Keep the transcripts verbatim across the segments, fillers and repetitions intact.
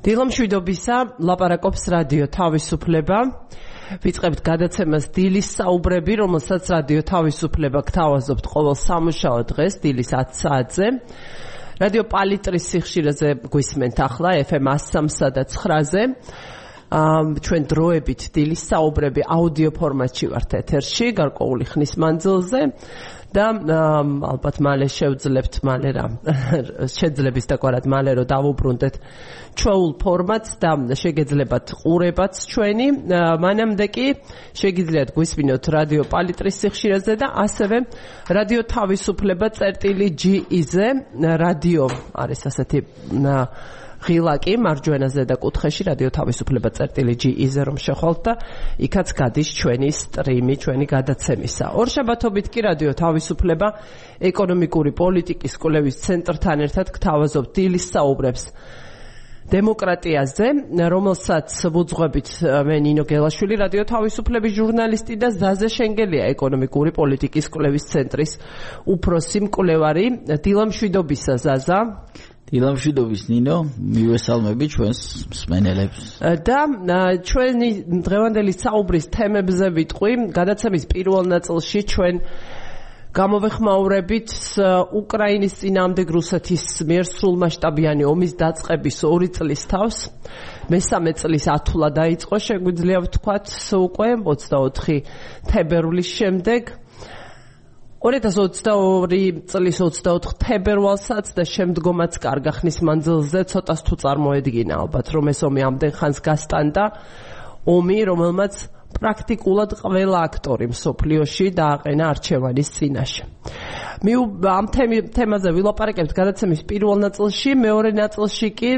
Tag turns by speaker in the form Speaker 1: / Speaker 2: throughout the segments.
Speaker 1: დილამშვიდობისა, ლაპარაკობს რადიო თავისუფლება. ვიწყებთ გადაცემას დილის საუბრები, რომელსაც რადიო თავისუფლება გთავაზობთ ყოველ სამუშაო დღეს დილის ათი საათზე. რადიო პალიტრის სიხშირეზე გვისმენთ ახლა ეფ ემ one oh three და nine-ზე. ჩვენ დროებით დილის საუბრები აუდიო ფორმატში ვართ ეთერში, გარკვეული ხნის მანძილზე. და ალბათ მალე შევძლებთ მალე რა შეძლების დაგვარად მალე რომ დავუბრუნდეთ ჩვეულ ფორმატს და შეგეძლებათ ყურებაც ჩვენი მანამდე კი შეგიძლიათ გვისმინოთ რადიო პალიტრის სიხშირეზე და ასევე რადიო თავისუფლება წერტილი ჯი ი-ზე რადიო არის ასეთი ღილაკი მარჯვენაზე და კუთხეში რადიო თავისუფლება წერტილი ჯი ი-ზე რომ შეხვალთ და იქაც გადის ჩვენი სტრიმი, ჩვენი გადაცემისა. ორშაბათობით კი რადიო თავისუფლება ეკონომიკური პოლიტიკის კვლევის ცენტრთან ერთად გთავაზობთ დილის საუბრებს დემოკრატიაზე, რომელსაც ვუძღვებით მე ნინო გელაშვილი, რადიო თავისუფლების ჟურნალისტი და ზაზე შენგელია ეკონომიკური პოლიტიკის კვლევის ცენტრის უფროსი მკვლევარი. დილამშვიდობისა ზაზა.
Speaker 2: დილამშვიდობის ნინო, მივესალმები ჩვენს მსმენელებს.
Speaker 1: და ჩვენი დღევანდელი საუბრის თემებზე ვიტყვი. გადაცემის პირველ ნაწილში ჩვენ გამოვეხმაურებით უკრაინის წინააღმდეგ რუსეთის მიერ სრულმასშტაბიანი ომის დაწყების ორი წლის თავს. მესამე წლის ათვლა დაიწყო, შეგვიძლია ვთქვათ, უკვე ოცდაოთხი თებერვლის შემდეგ. ორი ათას ოცდაორი წლის ოცდაოთხ თებერვალსაც და შემდგომაც კარგა ხნის მანძილზე ცოტას თუ წარმოედგინა ალბათ რომ ეს ომი ამდენ ხანს გასტანდა, ომი რომელმაც პრაქტიკულად ყველა აქტორი მსოფლიოში დააყენა არჩევანის წინაშე. მე ამ თემაზე ვილაპარაკებთ გადაცემის პირველ ნაწილში, მეორე ნაწილში კი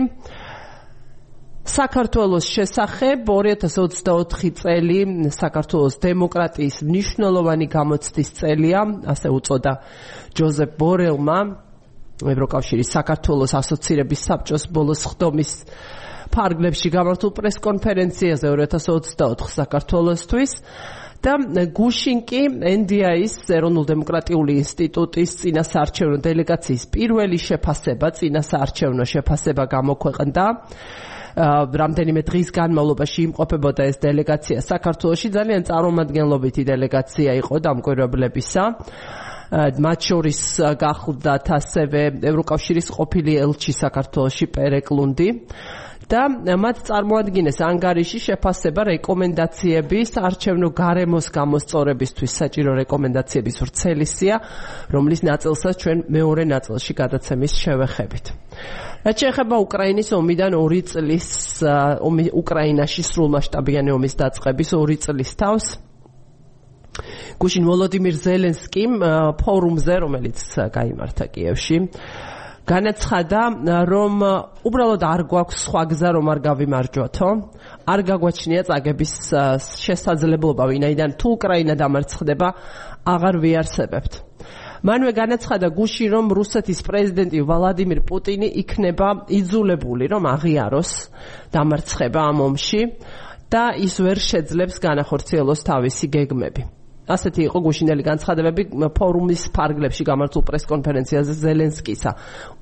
Speaker 1: საქართველოს შესახებ ორი ათას ოცდაოთხი წელი საქართველოს დემოკრატიის მნიშვნელოვანი გამოცდის წელია, ასე უწოდა ჯოზეფ ბორელმა ევროკავშირის საქართველოს ასოცირების საბჭოს ბოლოს ხდომის ფარგლებში გამართულ პრესკონფერენციაზე ორი ათას ოცდაოთხ საქართველოსთვის და გუშინ კი ენ დი აის ეროვნულ-დემოკრატიული ინსტიტუტის წინასაარჩევნო დელეგაციის პირველი შეფასება, წინასაარჩევნო შეფასება გამოქვეყნდა. რამდენიმე დღის განმავლობაში იმყოფებოდა ეს დელეგაცია საქართველოში, ძალიან წარმომადგენლობითი დელეგაცია იყო დამკვირვებლებისა. მათ შორის გახლდათ ასევე ევროკავშირის ყოფილი ელჩი საქართველოში პერეკლუნდი და მათ წარმოადგინეს ანგარიში შეფასება რეკომენდაციების არჩევნო გარემოს გამოსწორებისთვის საჭირო რეკომენდაციების ვრცელი სია, რომლის ნაწილსაც ჩვენ მეორე ნაწილში გადაცემის შევეხებით. რაც შეეხება უკრაინის ომიდან ორი წლის ომი უკრაინაში სრულმასშტაბიანი ომის დაწყების ორი წლის თავს გუშინ ვოლოდიმირ ზელენსკიმ ფორუმზე, რომელიც გაიმართა კიევში, განაცხადა, რომ უბრალოდ არ გვაქვს სხვა გზა, რომ არ გავიმარჯვათო, არ გაგვაჩნია წაგების შესაძლებლობა, ვინაიდან თუ უკრაინა დამარცხდება, აღარ ვიარსებებთ. მანვე განაცხადა გუშინ, რომ რუსეთის პრეზიდენტი ვლადიმირ პუტინი იქნება იძულებული, რომ აღიაროს დამარცხება ამ ომში და ის ვერ შეძლებს განახორციელოს თავისი გეგმები. ასეთი იყო გუშინელი განცხადებები ფორუმის ფარგლებში გამართულ პრესკონფერენციაზე ზელენსკისა.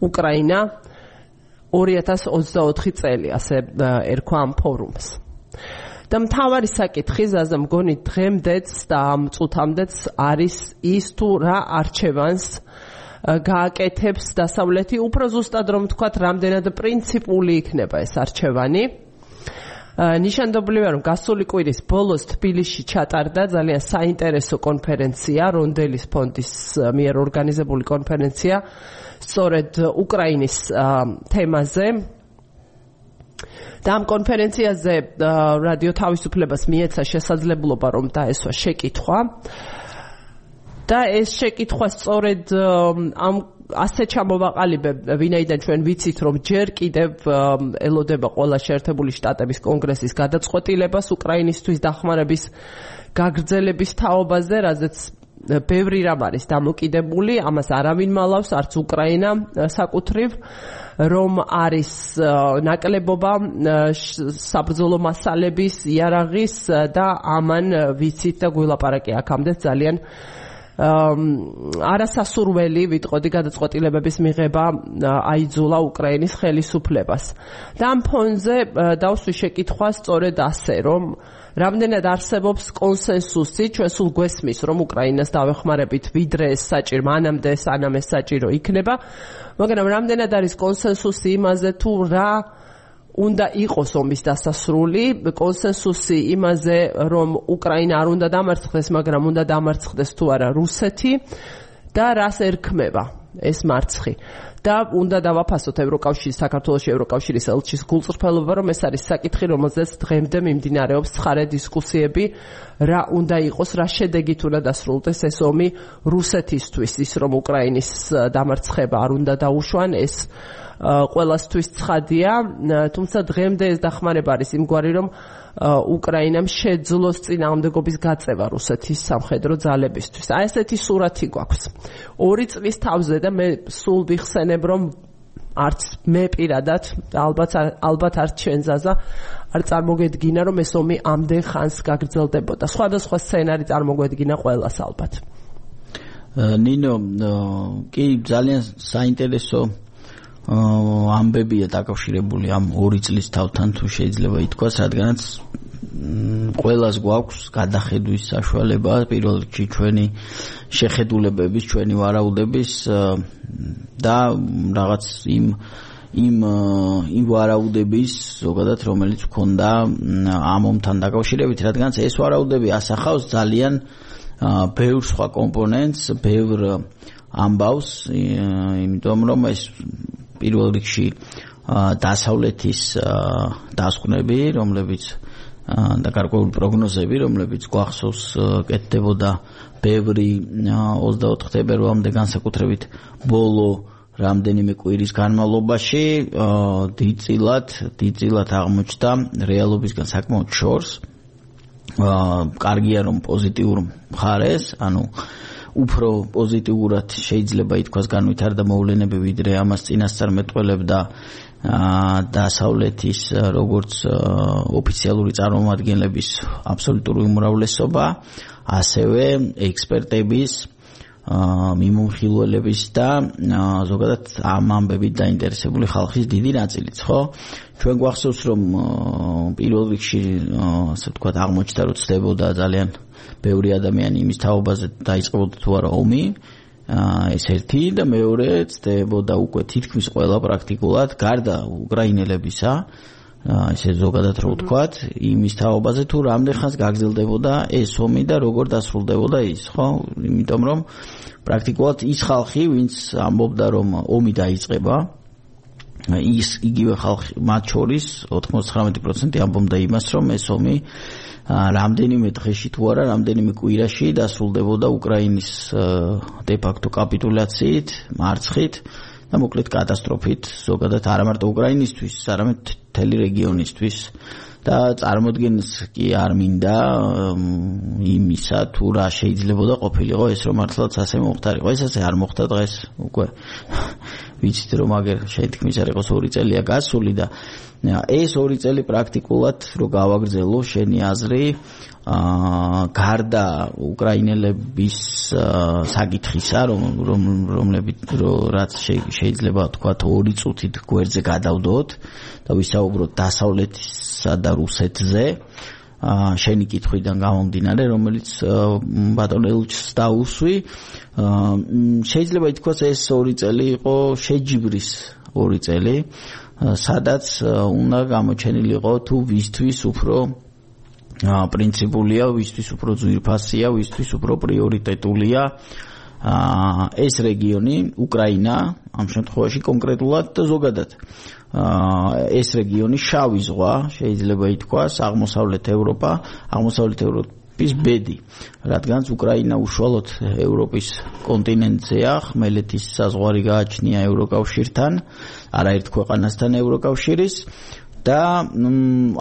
Speaker 1: უკრაინა ორი ათას ოცდაოთხი წელი, ასე ერქვა ამ ფორუმს. და მთავარი საკითხი ზაზა მგონი დღემდეც და ამ წუთამდეც არის ის თუ რა არჩევანს გააკეთებს დასავლეთი, უფრო ზუსტად რომ ვთქვათ, რამდენად პრინციპული იქნება ეს არჩევანი. ნიშანდობლივია, რომ გასული კვირის ბოლოს თბილისში ჩატარდა ძალიან საინტერესო კონფერენცია, რონდელის ფონდის მიერ ორგანიზებული კონფერენცია, სწორედ უკრაინის თემაზე. და ამ კონფერენციაზე რადიო თავისუფლებას მიეცა შესაძლებლობა, რომ დაესვა შეკითხვა. და ეს შეკითხვა სწორედ ამ ასე ჩამოვაყალიბებ, ვინაიდან ჩვენ ვიცით, რომ ჯერ კიდევ ელოდება ყველა შეერთებული შტატების კონგრესის გადაწყვეტილებას უკრაინისთვის დახმარების გაგრძელების თაობაზე, რაზეც ბევრი რამ არის დამოკიდებული, ამას არავინ მალავს, არც უკრაინა საკუთრივ, რომ არის ნაკლებობა საბრძოლო მასალების, იარაღის და ამან ვიცით და გვილაპარაკი აქამდე ძალიან არასასურველი ვიტყოდი გადაწყვეტილებების მიღება აიძულა უკრაინის ხელისუფლებას. და ამ ფონზე დავსვი შეკითხვა სწორედ ასე, რომ რამდენად არსებობს კონსენსუსი, ჩვენ სულ გვესმის, რომ უკრაინას დავეხმარებით ვიდრე ეს საჭირო, მანამდე სანამ ეს საჭირო იქნება, მაგრამ რამდენად არის კონსენსუსი იმაზე, თუ რა უნდა იყოს ომის დასასრული, კონსენსუსი იმაზე, რომ უკრაინა არ უნდა დამარცხდეს, მაგრამ უნდა დამარცხდეს თუ არა რუსეთი და რას ერქმება ეს მარცხი. და უნდა დავაფასოთ ევროკავშირის საქართველოს ევროკავშირის ელჩის გულწრფელობა, რომ ეს არის საკითხი, რომელზეც დღემდე მიმდინარეობს ცხარე დისკუსიები, რა უნდა იყოს, რა შედეგით უნდა დასრულდეს ეს ომი რუსეთისთვის, ის რომ უკრაინის დამარცხება არ უნდა დაუშვან, ეს ყველასთვის ცხადია, თუმცა დღემდე ეს დახმარება არის იმგვარი, რომ უკრაინამ შეძლოს წინააღმდეგობის გაწევა რუსეთის სამხედრო ძალებისთვის. აი ესეთი სურათი გვაქვს. ორი წლის თავზე და მე სულ ვიხსენებ, რომ არც მე პირადად, ალბათ ალბათ არც ჩვენ ზაზა არ წარმოგვედგინა, რომ ეს ომი ამდენ ხანს გაგრძელდებოდა. სხვადასხვა სცენარი წარმოგვედგინა ყველას ალბათ.
Speaker 2: ნინო, კი ძალიან საინტერესო ამბებია დაკავშირებული ამ ორი წლის თავთან, თუ შეიძლება ითქვას, რადგანაც ყველას გვაქვს გადახედვის საშუალება პირველ რიგში ჩვენი შეხედულებების, ჩვენი ვარაუდების და რაღაც იმ იმ იმ ვარაუდების ზოგადად რომელიც ქონდა ამ ომთან დაკავშირებით, რადგანაც ეს ვარაუდები ასახავს ძალიან ბევრ სხვა კომპონენტს, ბევრ ამბავს, იმიტომ რომ ეს პირველ რიგში დასავლეთის დასკვნები, რომლებიც და გარკვეული პროგნოზები, რომლებიც გვახსოვს კეთდებოდა ბევრი ოცდაოთხ თებერვალამდე, განსაკუთრებით ბოლო რამდენიმე კვირის განმავლობაში დიდწილად, დიდწილად აღმოჩნდა რეალობისგან საკმაოდ შორს. კარგია რომ პოზიტიურ მხარეს, ანუ უფრო პოზიტიურად შეიძლება ითქვას განვითარდა მოვლენები, ვიდრე ამას წინასწარ მეტყველებდა დასავლეთის როგორც ოფიციალური წარმომადგენლების აბსოლუტური უმრავლესობა, ასევე ექსპერტების, მიმოხილველების და ზოგადად ამ ამბებით დაინტერესებული ხალხის დიდი ნაწილიც, ხო? ჩვენ გვახსოვს, რომ პირველ რიგში, ასე ვთქვათ, აღმოჩნდა, რომ ცდებოდა ძალიან ბევრი ადამიანი იმის თაობაზე დაიწყებოდა თუ არა ომი, ეს ერთი და მეორე ცდებოდა უკვე თითქმის ყველა პრაქტიკულად გარდა უკრაინელებისა, ესე ზოგადად რო ვთქვათ, იმის თაობაზე თუ რამდენ ხანს გაგრძელდებოდა ეს ომი და როგორ დასრულდებოდა ის, ხო? იმიტომ რომ პრაქტიკულად ის ხალხი, ვინც ამბობდა რომ ომი დაიწყება, ის იგივე ხალხი მათ შორის ოთხმოცდათვრამეტი პროცენტი ამბობდა იმას, რომ ეს ომი რამდენიმე დღეში თუ არა, რამდენიმე კვირაში დასრულდებოდა უკრაინის de facto კაპიტულაციით, მარცხით და მოკლედ კატასტროფით, ზოგადად არა მარტო უკრაინისთვის, არამედ მთელი რეგიონისთვის და წარმოდგენს კი არ მინდა იმისა, თუ რა შეიძლებოდა ყოფილიყო ეს რომ მართლაც ასე მოხდარიყო. ეს ასე არ მოხდა დღეს, უკვე ვიცით რომ აგერ შეთქმის არ იყოს ორი წელია გასული და ეს ორი წელი პრაქტიკულად რო გავაგრძელო შენი აზრი, გარდა უკრაინელების საკითხისა, რომ რომლებიც რაც შეიძლება თქვა ორი წუთით გვერდზე გადავდოთ და ვისაუბროთ დასავლეთისა და რუსეთზე, შენი კითხვიდან გამომდინარე, რომელიც ბატონ ელჩს დაუსვი, შეიძლება ითქვას ეს ორი წელი იყო შეჯიბრის ორი წელი, სადაც უნდა გამოჩენილიყო თუ ვისთვის უფრო პრინციპულია, ვისთვის უფრო ძვირფასია, ვისთვის უფრო პრიორიტეტულია ეს რეგიონი, უკრაინა, ამ შემთხვევაში კონკრეტულად და ზოგადად ეს რეგიონი შავი ზღვა, შეიძლება ითქვას, აღმოსავლეთ ევროპა, აღმოსავლეთ ევროპის ბედი, რადგანაც უკრაინა უშუალოდ ევროპის კონტინენტზეა, ხმელეთის საზღვარი გააჩნია ევროკავშირთან, არაერთ ქვეყანასთან ევროკავშირის და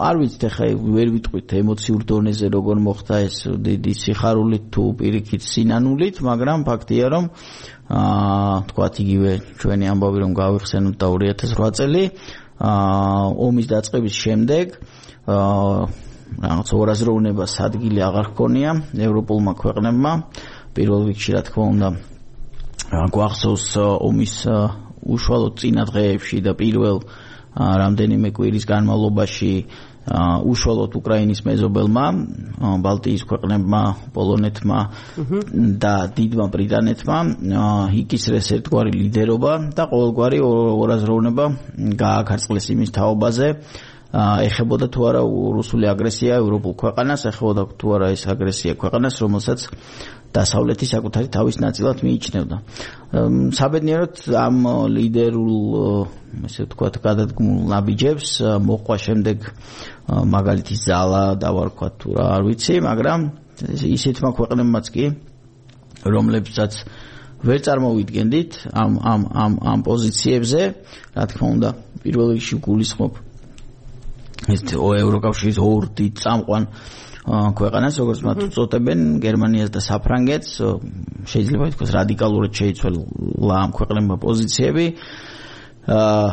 Speaker 2: არ ვიცით ახლა ვერ ვიტყვით ემოციურ დონეზე როგორ მოხდა ეს დიდი სიხარულით თუ პირიქით სინანულით, მაგრამ ფაქტია რომ აა თქვათ იგივე ჩვენი ამბავი რომ გავიხსენოთ და ორი ათას ოთხ წელი აა ომის დაწყების შემდეგ აა რაღაც ორაზროვნებას ადგილი აღარ ჰქონია ევროპულმა ქვეყნებმა პირველ რიგში რა თქმა უნდა გვახსოვს ომის უშუალოდ წინა დღეებში და პირველ რამდენიმე კვირის განმავლობაში უშუალოდ უკრაინის მეზობელმა ბალტიის ქვეყნებმა, პოლონეთმა და დიდმა ბრიტანეთმა იკისრეს ერთგვარი ლიდერობა და ყოველგვარი ორაზროვნება გააქარწყლეს იმის თაობაზე ეხებოდა თუ არა რუსული აგრესია ევროპულ ქვეყანას, ეხებოდა თუ არა ეს აგრესია ქვეყანას, რომელსაც დასავლეთი საკუთარი თავის ნაწილად მიიჩნევდა. საბედნიეროდ ამ ლიდერულ, ესე ვთქვათ, გადადგმულ ნაბიჯებს მოყვა შემდეგ მაგალითის ძალა დავარქვათ თუ რა არ ვიცი, მაგრამ ისეთმა ქვეყნებმაც კი, რომლებსაც ვერ წარმოვიდგენდით ამ ამ ამ ამ პოზიციებზე, რა თქმა უნდა, პირველ რიგში გულისხმობ ეს ევროკავშირის ორ დიდ წამყვან ქვეყანას, როგორც მათ უწოდებენ, გერმანიას და საფრანგეთს, შეიძლება ითქვას რადიკალურად შეიცვალა ამ ქვეყნებმა პოზიციები. აა,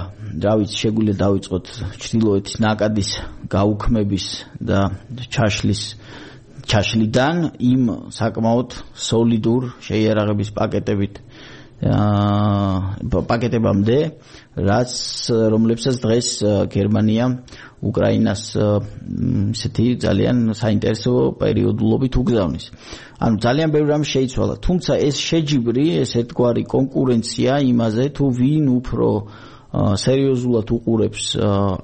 Speaker 2: რა ვიცი, შეგვიძლია დავიწყოთ ჩრდილოეთის ნაკადის გაუქმების და ჩაშლის ჩაშლიდან იმ საკმაოდ სოლიდურ შეიარაღების პაკეტებით აა პაკეტებამდე, რაც რომლებსაც დღეს გერმანია უკრაინას ისეთი ძალიან საინტერესო პერიოდულობით უგზავნის. ანუ ძალიან ბევრი რამ შეიცვალა, თუმცა ეს შეჯიბრი, ეს ერთგვარი კონკურენცია იმაზე, თუ ვინ უფრო სერიოზულად უყურებს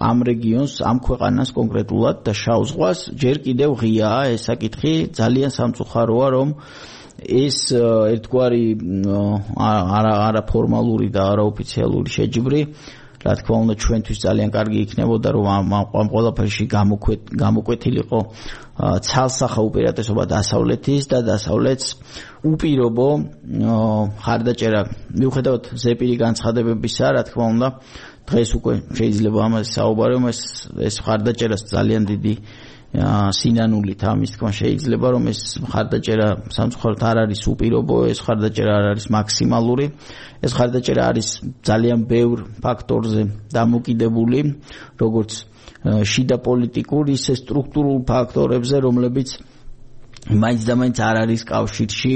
Speaker 2: ამ რეგიონს, ამ ქვეყანას კონკრეტულად და შავ ზღვას, ჯერ კიდევ ღიაა ეს საკითხი, ძალიან სამწუხაროა, რომ ეს ერთგვარი არაფორმალური და არაოფიციალური შეჯიბრი, რა თქმა უნდა, ჩვენთვის ძალიან კარგი იქნებოდა, რომ ამ ყველაფერში გამოკვეთილიყო ცალსახა უპირატესობა დასავლეთის და დასავლეთს უპირობო ხარდაჭერა. მიუხედავად ზეპირი განცხადებებისა, რა თქმა უნდა, დღეს უკვე შეიძლება ამაზე საუბარი, ეს ეს ხარდაჭერას ძალიან დიდი სინანულით ამის თქმა შეიძლება, რომ ეს ხარდაჭერა სამწუხაროდ არ არის უპირობო, ეს ხარდაჭერა არ არის მაქსიმალური, ეს ხარდაჭერა არის ძალიან ბევრ ფაქტორზე დამოკიდებული, როგორც შიდა პოლიტიკურ, ისე სტრუქტურულ ფაქტორებზე, რომლებიც მაინც და მაინც არ არის კავშირში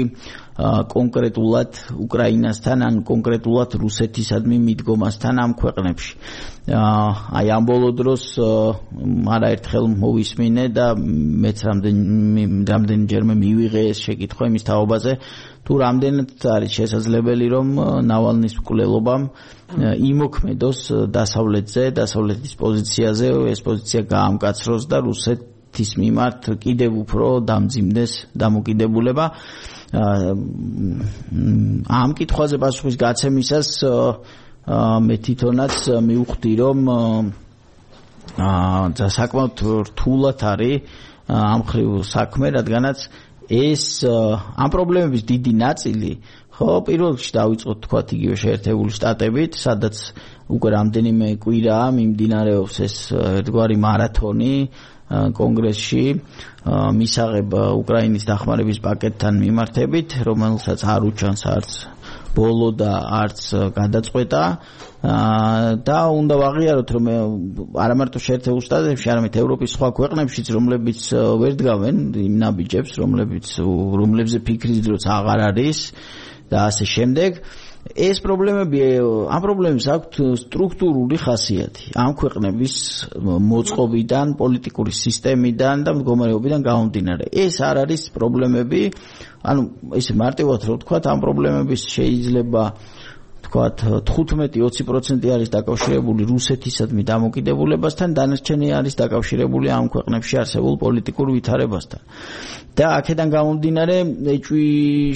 Speaker 2: კონკრეტულად უკრაინასთან, ან კონკრეტულად რუსეთისადმი მიდგომასთან ამ ქვეყნებში. აი ამ ბოლო დროს არაერთხელ მოვისმინე და მეც რამდენჯერმე მივიღე ეს შეკითხვა იმის თაობაზე, თუ რამდენად არის შესაძლებელი, რომ ნავალნის მკვლელობამ იმოქმედოს დასავლეთზე, დასავლეთის პოზიციაზე, ეს პოზიცია გაამკაცროს და რუსეთ ის მიმართ კიდევ უფრო დამძიმდეს დამოკიდებულება. ამ კითხვაზე პასუხის გაცემისას მე თვითონაც მივხვდი, რომ საკმაოდ რთულად არის ამ ხრივ საქმე, რადგანაც ეს ამ პრობლემების დიდი ნაწილი, ხო, პირველ რიგში დავიწყოთ თქვათ იგივე შეერთებული შტატებით, სადაც უკვე რამდენიმე კვირაა მიმდინარეობს ეს ერთგვარი მარათონი კონგრესში მისაღებ უკრაინის დახმარების პაკეტთან მიმართებით, რომელსაც არ უჩანს არც ბოლო და არც გადაწყვეტა და უნდა ვაღიაროთ, რომ არა მარტო შეერთებულ შტატებში, არამედ ევროპის სხვა ქვეყნებშიც, რომლებიც ვერ დგავენ იმ ნაბიჯებს, რომლებიც რომლებზე ფიქრის დროც აღარ არის და ასე შემდეგ. ეს პრობლემები, ამ პრობლემებს აქვთ სტრუქტურული ხასიათი. ამ ქვეყნების მოწყობიდან, პოლიტიკური სისტემიდან და მდგომარეობიდან გამომდინარე. ეს არ არის პრობლემები, ანუ ესე მარტივად რო ვთქვათ, ამ პრობლემების შეიძლება ვთქვათ თხუთმეტი ოცი პროცენტი არის დაკავშირებული რუსეთისადმი დამოკიდებულებასთან, დანარჩენი არის დაკავშირებული ამ ქვეყნებში არსებულ პოლიტიკურ ვითარებასთან. და აქედან გამომდინარე, ეჭვი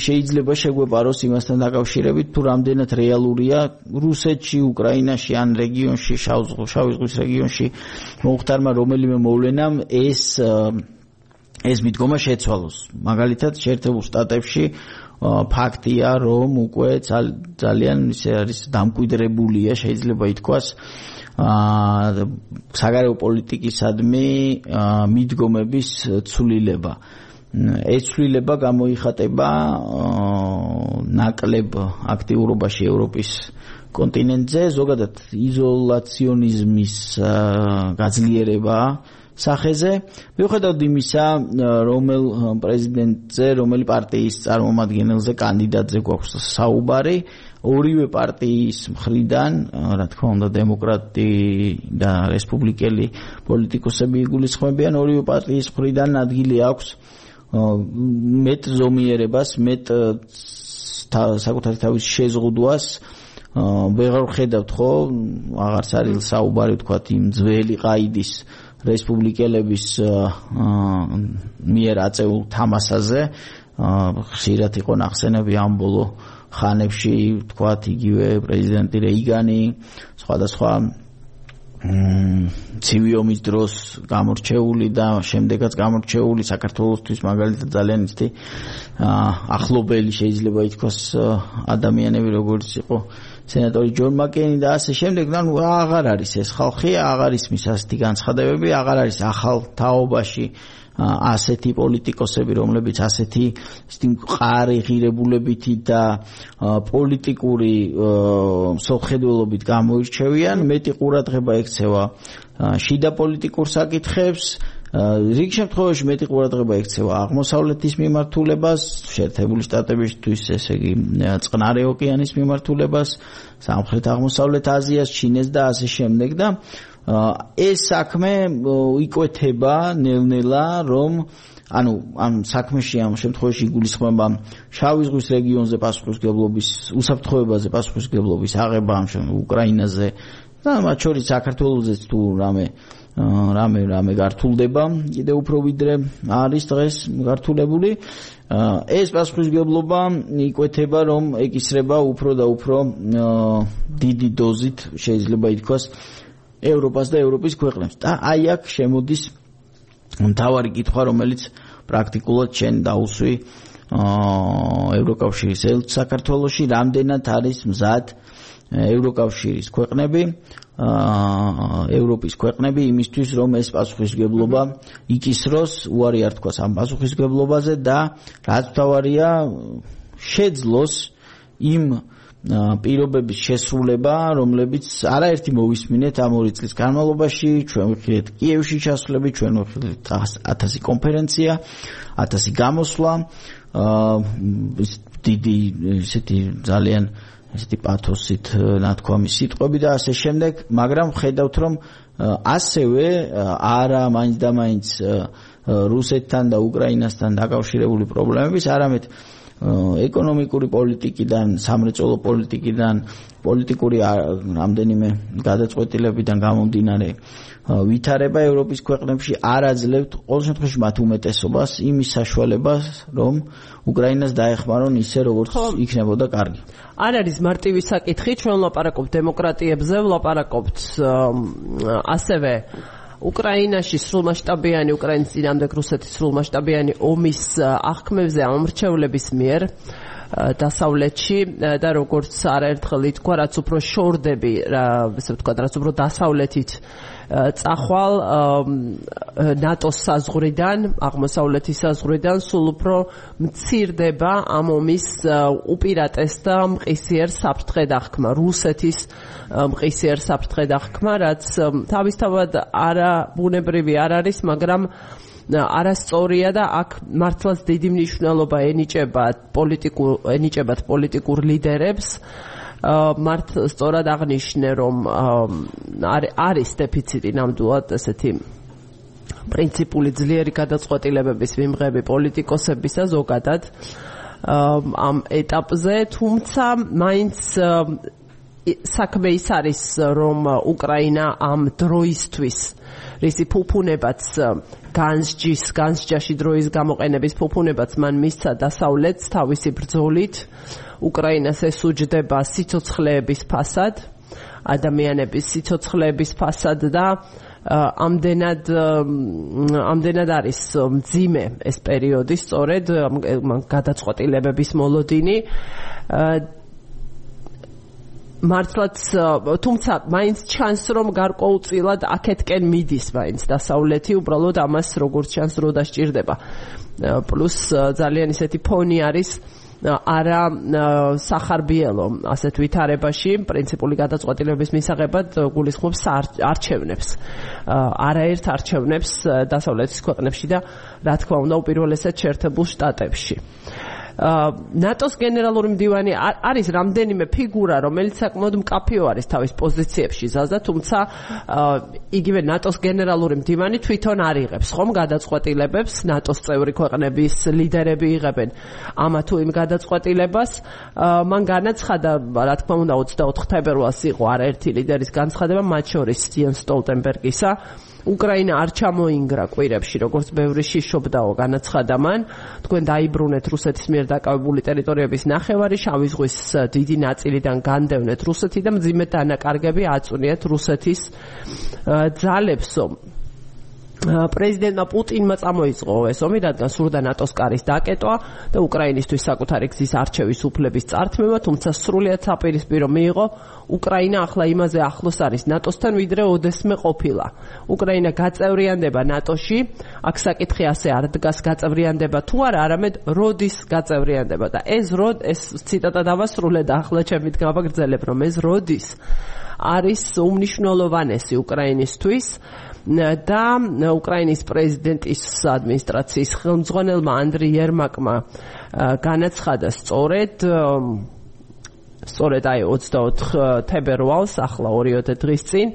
Speaker 2: შეიძლება შეგვეპაროს იმასთან დაკავშირებით, თუ რამდენად რეალურია რუსეთში, უკრაინაში ან რეგიონში, შავი ზღვის რეგიონში მომხდარმა რომელიმე მოვლენამ ეს ეს მიდგომა შეცვალოს. მაგალითად, შეერთებულ შტატებში ფაქტია, რომ უკვე ძალიან ისე არის დამკვიდრებულია, შეიძლება ითქვას, საგარეო პოლიტიკისადმი მიდგომების ცვლილება. ეს ცვლილება გამოიხატება ნაკლებ აქტიურობაში ევროპის კონტინენტზე ზოგადად იზოლაციონიზმის გაძლიერება სახეზე მიუხედავად იმისა რომელ პრეზიდენტზე რომელი პარტიის წარმომადგენელზე კანდიდატზე გვაქვს საუბარი ორივე პარტიის მხრიდან რა თქმა უნდა დემოკრატი და რესპუბლიკელი პოლიტიკოსები იგულისხმებიან ორივე პარტიის მხრიდან ადგილი აქვს მეტ ზომიერებას მეტ საკუთარი თავის შეზღუდვას ვეღარ ხედავთ ხო აღარც არის საუბარი ვთქვათ იმ ძველი ყაიდის რესპუბლიკელების მიერ აწეულ თამასაზე ხშირად იყო ნახსენები ამ ბოლო ხანებში ვთქვათ იგივე პრეზიდენტი რეიგანი სხვადასხვა ცივი ომის დროს გამორჩეული და შემდეგაც გამორჩეული საქართველოსთვის მაგალითად ძალიან ისეთი ახლობელი შეიძლება ითქვას ადამიანები როგორც იყო სენატორი ჯონ მაკეინი და ასე შემდეგ და ნუ აღარ არის ეს ხალხი აღარ ისმის ასეთი განცხადებები აღარ არის ახალ თაობაში ასეთი პოლიტიკოსები რომლებიც ასეთი ისეთი მყარი ღირებულებითი და პოლიტიკური მსოფლმხედველობით გამოირჩევიან მეტი ყურადღება ექცევა შიდა პოლიტიკურ საკითხებს რიგ შემთხვევაში მეტი ყურადღება ექცევა აღმოსავლეთის მიმართულებას შეერთებული შტატებისთვის ესე იგი წყნარი ოკეანის მიმართულებას სამხრეთ აღმოსავლეთ აზიას ჩინეთს და ასე შემდეგ და ეს საქმე იკვეთება ნელ-ნელა რომ ანუ ამ საქმეში ამ შემთხვევაში იგულისხმება შავი ზღვის რეგიონზე პასუხისმგებლობის უსაფრთხოებაზე პასუხისმგებლობის აღება ამ უკრაინაზე და მათ შორის საქართველოსაც თუ რამე რამე რამე გართულდება კიდევ უფრო ვიდრე არის დღეს გართულებული ეს პასუხისმგებლობა იკვეთება რომ ეკისრება უფრო და უფრო დიდი დოზით შეიძლება ითქვას ევროპას და ევროპის ქვეყნებს და აი აქ შემოდის მთავარი კითხვა რომელიც პრაქტიკულად შენ დაუსვი ევროკავშირის ელჩ საქართველოში რამდენად არის მზად ევროკავშირის ქვეყნები ევროპის ქვეყნები იმისთვის რომ ეს პასუხისმგებლობა იკისროს უარი არ თქვას ამ პასუხისმგებლობაზე და რაც მთავარია შეძლოს იმ პირობების შესრულება, რომლებიც არაერთი მოვისმინეთ ამ ორი წლის განმავლობაში, ჩვენ ვიხილეთ კიევში ჩასვლები, ჩვენ ვიხილეთ ათასი კონფერენცია, ათასი გამოსვლა, დიდი ესეთი ძალიან ესეთი პათოსით ნათქვამი სიტყვები და ასე შემდეგ, მაგრამ ხედავთ რომ ასევე არა მაინც და მაინც რუსეთთან და უკრაინასთან დაკავშირებული პრობლემების, არამედ ეკონომიკური პოლიტიკიდან, სამრეწველო პოლიტიკიდან, პოლიტიკური რამდენიმე გადაწყვეტილებიდან გამომდინარე ვითარება ევროპის ქვეყნებში არ აძლევთ ყოველ შემთხვევაში მათ უმეტესობას იმის საშუალებას, რომ უკრაინას დაეხმარონ ისე როგორც იქნებოდა კარგი.
Speaker 1: არ არის მარტივი საკითხი, ჩვენ ვლაპარაკობთ დემოკრატიებზე, ვლაპარაკობთ ასევე უკრაინაში სრულმასშტაბიანი უკრაინის წინააღმდეგ რუსეთის სრულმასშტაბიანი ომის აღქმებზე ამორჩევლების მიერ დასავლეთში და როგორც არაერთხელ ითქვა, რაც უფრო შორდები, ესე ვთქვათ, რაც უფრო დასავლეთით წახვალ ნატოს საზღვრიდან, აღმოსავლეთის საზღვრიდან სულ უფრო მცირდება ამ ომის უპირატეს და მყისიერ საფრთხე დახქმა, რუსეთის მყისიერ საფრთხე დახქმა, რაც თავისთავად არა ბუნებრივი არ არის, მაგრამ არასწორია და აქ მართლაც დიდი მნიშვნელობა ენიჭება პოლიტიკურ ენიჭებათ პოლიტიკურ ლიდერებს მართ სწორად აღნიშნე რომ არის დეფიციტი ნამდვილად ესეთი პრინციპული ძლიერი გადაწყვეტილებების მიმღები პოლიტიკოსებისა ზოგადად ამ ეტაპზე თუმცა მაინც საქმე ის არის რომ უკრაინა ამ დროისთვის რისი ფუფუნებაც განსჯის განსჯაში დროის გამოყენების ფუფუნებაც მან მისცა დასავლეთს თავისი ბრძოლით უკრაინას ესუჯდება სიცოცხლეების ფასად ადამიანების სიცოცხლეების ფასად და ამდენად ამდენად არის მძიმე ეს პერიოდი სწორედ გადაწყვეტილებების მოლოდინი მართლაც თუმცა მაინც ჩანს რომ გარკვეულწილად აქეთკენ მიდის მაინც დასავლეთი უბრალოდ ამას როგორც ჩანს რო დასჭირდება პლუს ძალიან ისეთი ფონი არის არა სახარბიელო ასეთ ვითარებაში პრინციპული გადაწყვეტილების მისაღებად გულისხმობს არჩევნებს. არაერთ არჩევნებს დასავლეთის ქვეყნებში და რა თქმა უნდა უპირველესად შეერთებულ შტატებში. ნატოს გენერალური მდივანი არის რამდენიმე ფიგურა, რომელიც საკმაოდ მკაფიო არის თავის პოზიციებში ზაზა, თუმცა იგივე ნატოს გენერალური მდივანი თვითონ არ იღებს ხომ გადაწყვეტილებებს, ნატოს წევრი ქვეყნების ლიდერები იღებენ ამა თუ იმ გადაწყვეტილებას. მან განაცხადა, რა თქმა უნდა, ოცდაოთხ თებერვალს იყო არაერთი ლიდერის განცხადება, მათ შორის იენს სტოლტენბერგისა. უკრაინა არ ჩამოინგრა კვირებში, როგორც ბევრი შიშობდაო განაცხადა მან. თქვენ დაიბრუნეთ რუსეთის მიერ დაკავებული ტერიტორიების ნახევარი, შავი ზღვის დიდი ნაწილიდან განდევნეთ რუსეთი და მძიმე დანაკარგები აწუნიეთ რუსეთის ძალებსო. პრეზიდენტმა პუტინმა წამოიწყო ეს ომი, რადგან სურდა ნატოს კარის დაკეტვა და უკრაინისთვის საკუთარი გზის არჩევის უფლების წართმევა, თუმცა სრულიად საპირისპირო მიიღო უკრაინა ახლა იმაზე ახლოს არის ნატოსთან, ვიდრე ოდესმე ყოფილა. უკრაინა გაწევრიანდება ნატოში, აქ საკითხი ასე არ დგას გაწევრიანდება თუ არა, არამედ როდის გაწევრიანდება და ეს როდ ეს ციტატა დავასრულე და ახლა ჩემით გავაგრძელებ, რომ ეს როდის არის უმნიშვნელოვანესი უკრაინისთვის და უკრაინის პრეზიდენტის ადმინისტრაციის ხელმძღვანელმა ანდრი იერმაკმა განაცხადა სწორედ სწორედ აი ოცდაოთხ თებერვალს, ახლა ორიოდე დღის წინ,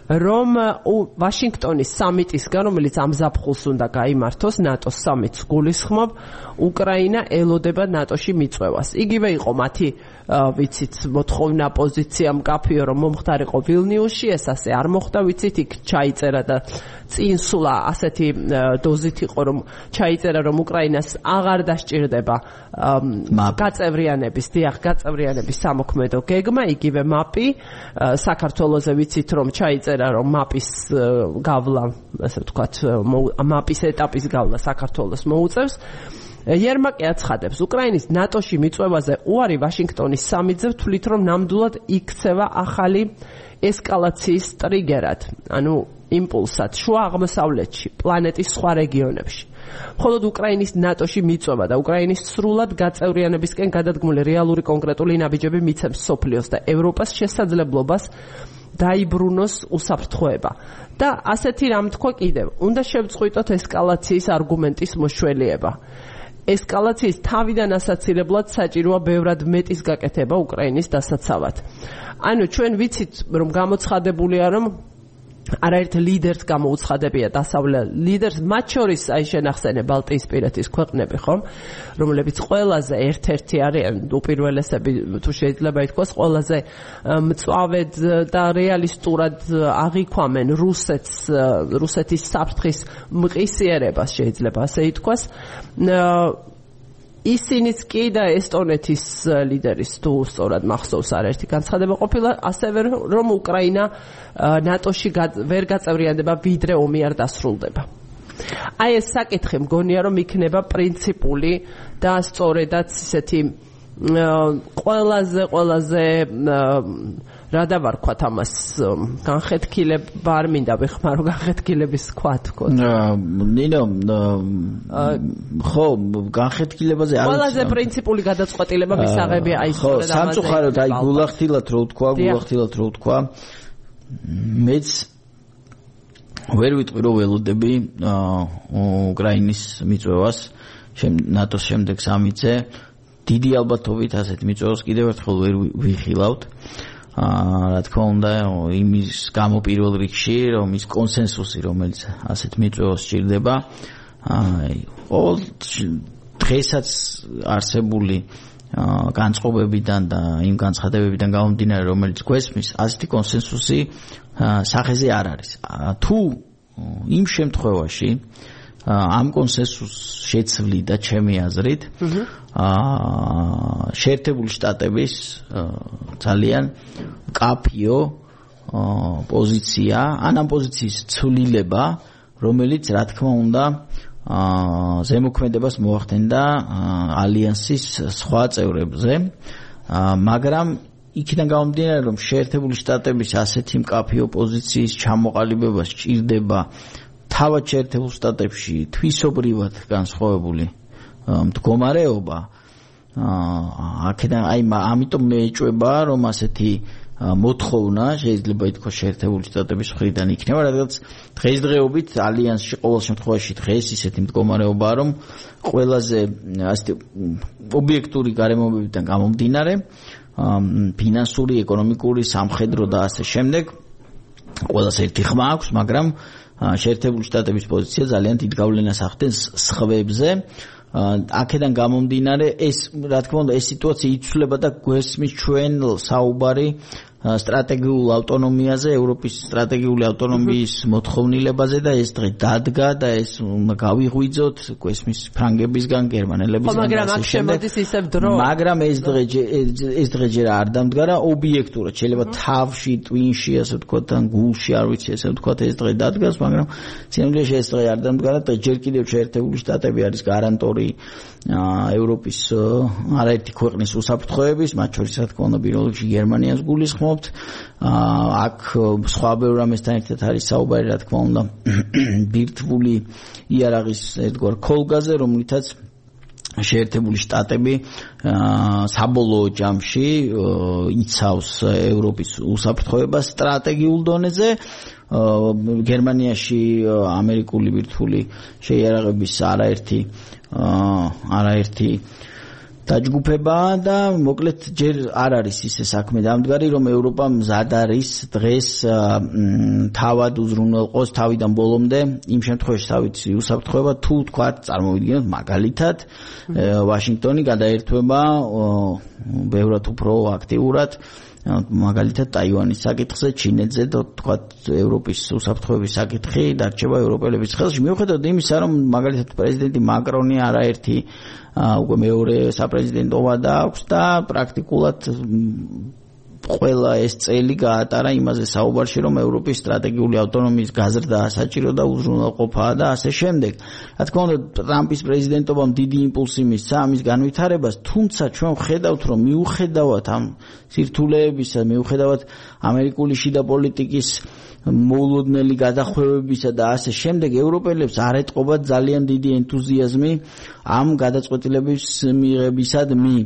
Speaker 1: რომ ვაშინგტონის სამიტისგან, რომელიც ამ ზაფხულს უნდა გაიმართოს, ნატოს სამიტს გულისხმობ, უკრაინა ელოდება ნატოში მიწვევას. იგივე იყო მათი ვიცით მოთხოვნა პოზიცია მკაფიო, რომ მომხდარიყო ვილნიუსში, ეს ასე არ მოხდა, ვიცით, იქ ჩაიწერა და წინსულა ასეთი დოზით იყო, რომ ჩაიწერა, რომ უკრაინას აღარ დასჭირდება გაწევრიანების, დიახ, გაწევრიანების სამოქმედო გეგმა, იგივე მაპი, საქართველოზე ვიცით, რომ ჩაიწერა, რომ მაპის გავლა, ასე ვთქვათ, მაპის ეტაპის გავლა საქართველოს მოუწევს. იერმაკი აცხადებს, უკრაინის ნატოში მიწვევაზე უარი ვაშინგტონის სამიტზე თვლით, რომ ნამდვილად იქცევა ახალი ესკალაციის ტრიგერად, ანუ იმპულსად შუა აღმოსავლეთში, პლანეტის სხვა რეგიონებში. მხოლოდ უკრაინის ნატოში მიწვევა და უკრაინის სრულად გაწევრიანებისკენ გადადგმული რეალური კონკრეტული ნაბიჯები მიცემს სოფლიოს და ევროპას შესაძლებლობას დაიბრუნოს უსაფრთხოება. და ასეთი რამ თქვა კიდევ, უნდა შევწყვიტოთ ესკალაციის არგუმენტის მოშველიება. ესკალაციის თავიდან ასაცილებლად საჭიროა ბევრად მეტის გაკეთება უკრაინის დასაცავად. ანუ ჩვენ ვიცით, რომ გამოცხადებულია, რომ არაერთ ლიდერს გამოუცხადებია დასავლელ ლიდერს, მათ შორის აი შენახსენე ბალტიისპირეთის ქვეყნები, ხომ, რომლებიც ყველაზე ერთ-ერთი არიან უპირველესები, თუ შეიძლება ითქვას, ყველაზე მწვავედ და რეალისტურად აღიქვამენ რუსეთს, რუსეთის საფრთხის მყისიერებას, შეიძლება ასე ითქვას. ისინიც კი და ესტონეთის ლიდერის თუ სწორად მახსოვს არაერთი განცხადება ყოფილა, ასევე რომ უკრაინა ნატოში ვერ გაწევრიანდება, ვიდრე ომი არ დასრულდება. აი ეს საკითხი მგონია, რომ იქნება პრინციპული და სწორედაც ისეთი ყველაზე ყველაზე რა დავარქვათ ამას, განხეთქილება არ მინდა ვეხმარო, განხეთქილების თქვა თქო.
Speaker 2: ნინო, ხო, განხეთქილებაზე არ
Speaker 1: ყველაზე პრინციპული გადაწყვეტილება მისაღებია აი სწორედ ამაზე.
Speaker 2: ხო, სამწუხაროდ აი გულახდილად რო ვთქვა, გულახდილად რო ვთქვა, მეც ვერ ვიტყვი რომ ველოდები უკრაინის მიწვევას, ნატოს შემდეგ სამიტზე, დიდი ალბათობით ასეთ მიწვევას კიდევ ერთხელ ვერ ვიხილავთ. რა თქმა უნდა, იმის გამო პირველ რიგში, რომ ის კონსენსუსი, რომელიც ასეთ მიწვევას სჭირდება, ყოველ დღესაც არსებული განწყობებიდან და იმ განცხადებებიდან გამომდინარე, რომელიც გვესმის, ასეთი კონსენსუსი სახეზე არ არის. თუ იმ შემთხვევაში ამ კონსენსუსს შეცვლიდა ჩემი აზრით, შეერთებული შტატების ძალიან მკაფიო პოზიცია, ან ამ პოზიციის ცვლილება, რომელიც რა თქმა უნდა ზემოქმედებას მოახდენდა ალიანსის სხვა წევრებზე, მაგრამ იქიდან გამომდინარე, რომ შეერთებული შტატების ასეთი მკაფიო პოზიციის ჩამოყალიბება სჭირდება თავად შეერთებულ შტატებში თვისობრივად განსხვავებული მდგომარეობა, აქედან აი ამიტომ მეეჭვება რომ ასეთი მოთხოვნა შეიძლება ითქვას შეერთებული შტატების მხრიდან იქნება, რადგან დღესდღეობით ალიანსში ყოველ შემთხვევაში დღეს ისეთი მდგომარეობაა, რომ ყველაზე ასეთი ობიექტური გარემოებებიდან გამომდინარე, ფინანსური, ეკონომიკური, სამხედრო და ასე შემდეგ ყველას ერთი ხმა აქვს, მაგრამ შეერთებული შტატების პოზიცია ძალიან დიდ გავლენას ახდენს სხვებზე. აქედან გამომდინარე ეს რა თქმა უნდა ეს სიტუაცია იცვლება და გვესმის ჩვენ საუბარი სტრატეგიულ ავტონომიაზე, ევროპის სტრატეგიული ავტონომიის მოთხოვნილებაზე და ეს დღე დადგა და ეს გავიღვიძოთ გვესმის ფრანგებისგან, გერმანელებისგან.
Speaker 1: მაგრამ აქ შემოდის ისევ დრო.
Speaker 2: მაგრამ ეს დღე ეს დღე ჯერ არ დამდგარა ობიექტურად. შეიძლება თავში, ტვინში, ასე ვთქვათ, ან გულში, არ ვიცი, ასე ვთქვათ, ეს დღე დადგას, მაგრამ სინამდვილეში ეს დღე არ დამდგარა და ჯერ კიდევ შეერთებული შტატები არის გარანტორი ევროპის არაერთი ქვეყნის უსაფრთხოების, მათ შორის რა თქმა უნდა პირველ რიგში გერმანიას გულისხმობთ. აქ სხვა ბევრ რამესთან ერთად არის საუბარი, რა თქმა უნდა, ბირთვული იარაღის ერთგვარ ქოლგაზე, რომლითაც შეერთებული შტატები საბოლოო ჯამში იცავს ევროპის უსაფრთხოებას სტრატეგიულ დონეზე. გერმანიაში ამერიკული ბირთვული შეიარაღების არაერთი არაერთი დაჯგუფება და მოკლედ ჯერ არ არის ისე საქმე დამდგარი, რომ ევროპა მზად არის დღეს თავად უზრუნველყოს თავიდან ბოლომდე იმ შემთხვევაში თავით უსაფრთხოება თუ თქვათ წარმოვიდგინოთ მაგალითად ვაშინგტონი გადაერთვება ბევრად უფრო აქტიურად მაგალითად ტაივანის საკითხზე, ჩინეთზე და თქვათ ევროპის უსაფრთხოების საკითხი დარჩება ევროპელების ხელში. მიუხედავად იმისა, რომ მაგალითად პრეზიდენტი მაკრონი არაერთი უკვე მეორე საპრეზიდენტოვა დააქვს და პრაქტიკულად ყველა ეს წელი გაატარა იმაზე საუბარში, რომ ევროპის სტრატეგიული ავტონომიის გაზრდა საჭირო და უზრუნველყოფაა და ასე შემდეგ. რა თქმა უნდა, ტრამპის პრეზიდენტობამ დიდი იმპულსი მისცა ამის განვითარებას, თუმცა ჩვენ ვხედავთ, რომ მიუხედავად ამ სირთულეებისა, მიუხედავად ამერიკული შიდა პოლიტიკის მოულოდნელი გადახვევებისა და ასე შემდეგ, ევროპელებს არ ეტყობა ძალიან დიდი ენთუზიაზმი ამ გადაწყვეტილების მიღებისადმი.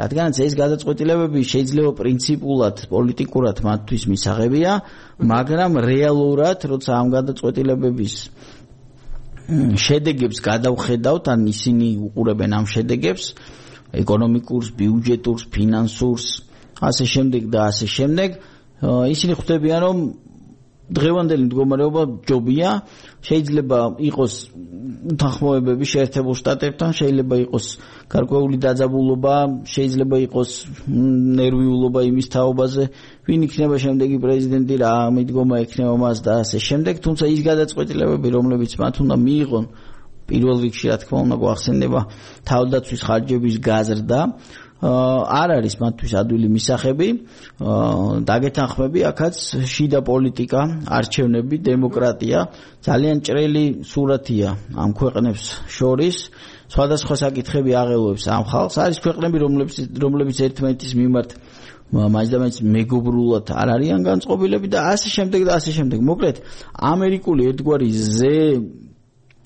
Speaker 2: რადგანაც ეს გადაწყვეტილებები შეიძლება პრინციპულად, პოლიტიკურად მათთვის მისაღებია, მაგრამ რეალურად, როცა ამ გადაწყვეტილებების შედეგებს გადავხედავთ, ან ისინი უყურებენ ამ შედეგებს, ეკონომიკურს, ბიუჯეტურს, ფინანსურს, ასე შემდეგ და ასე შემდეგ, ისინი ხვდებიან, რომ დღევანდელი მდგომარეობა ჯობია, შეიძლება იყოს უთანხმოებები შეერთებულ შტატებთან, შეიძლება იყოს გარკვეული დაძაბულობა, შეიძლება იყოს ნერვიულობა იმის თაობაზე, ვინ იქნება შემდეგი პრეზიდენტი, რა მიდგომა ექნება მას და ასე შემდეგ, თუმცა ის გადაწყვეტილებები, რომლებიც მათ უნდა მიიღონ, პირველ რიგში რა თქმა უნდა გვახსენდება თავდაცვის ხარჯების გაზრდა, არ არის მათთვის ადვილი მისახები, დაგეთანხმები აქაც შიდა პოლიტიკა, არჩევნები, დემოკრატია, ძალიან ჭრელი სურათია ამ ქვეყნებს შორის, სხვადასხვა საკითხები აღელვებს ამ ხალხს, არის ქვეყნები, რომლებიც რომლებიც ერთმანეთის მიმართ მაინც მეგობრულად არ არიან განწყობილები და ასე შემდეგ და ასე შემდეგ. მოკლედ, ამერიკული ერთგვარი ზე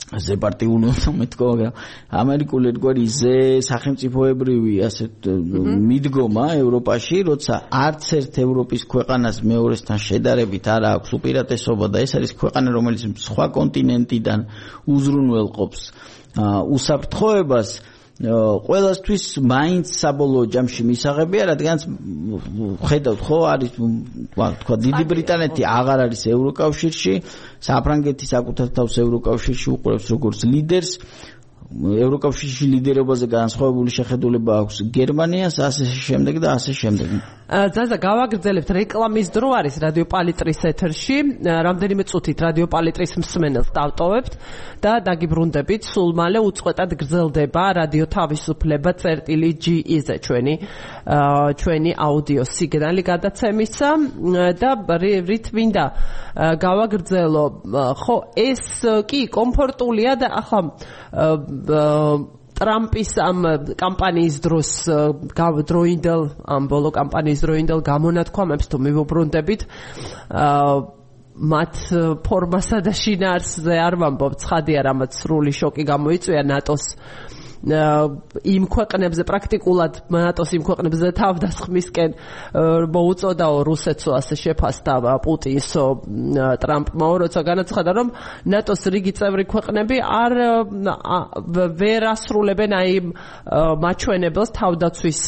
Speaker 2: ზე პარტიული მეთქო, მაგრამ ამერიკული ერთგვარი ზე სახელმწიფოებრივი ასეთ მიდგომა ევროპაში, როცა არც ერთ ევროპის ქვეყანას მეორესთან შედარებით არ აქვს უპირატესობა და ეს არის ქვეყანა, რომელიც სხვა კონტინენტიდან უზრუნველყოფს უსაფრთხოებას, ყველასთვის მაინც საბოლოო ჯამში მისაღებია, რადგანაც ხედავთ ხო, არის თქვა დიდი ბრიტანეთი აღარ არის ევროკავშირში, საფრანგეთი საკუთარ თავს ევროკავშირში უყურებს როგორც ლიდერს, ევროკავშირში ლიდერობაზე განსხვავებული შეხედულება აქვს გერმანიას, ასე შემდეგ და ასე შემდეგ.
Speaker 1: ზაზა, გავაგრძელებთ, რეკლამის დრო არის რადიო პალიტრის ეთერში, რამდენიმე წუთით რადიო პალიტრის მსმენელს დავტოვებთ და დაგიბრუნდებით, სულ მალე უწყვეტად გრძელდება რადიო თავისუფლება წერტილი ჯი ი-ზე ჩვენი ჩვენი აუდიო სიგნალი გადაცემისა და რით მინდა გავაგრძელო, ხო, ეს კი კომფორტულია და ახლა ტრამპის ამ კამპანიის დროს დროინდელ ამ ბოლო კამპანიის დროინდელ გამონათქვამებს თუ მივუბრუნდებით, მათ ფორმასა და შინაარსზე არ ვამბობ, ცხადია, რამაც სრული შოკი გამოიწვია ნატოს იმ ქვეყნებზე პრაქტიკულად ნატოს იმ ქვეყნებზე თავდასხმისკენ მოუწოდაო რუსეთსო ასე შეფასდა პუტინსო ტრამპმა როცა განაცხადა რომ ნატოს რიგი წევრი ქვეყნები არ ვერ ასრულებენ აი მაჩვენებელს თავდაცვის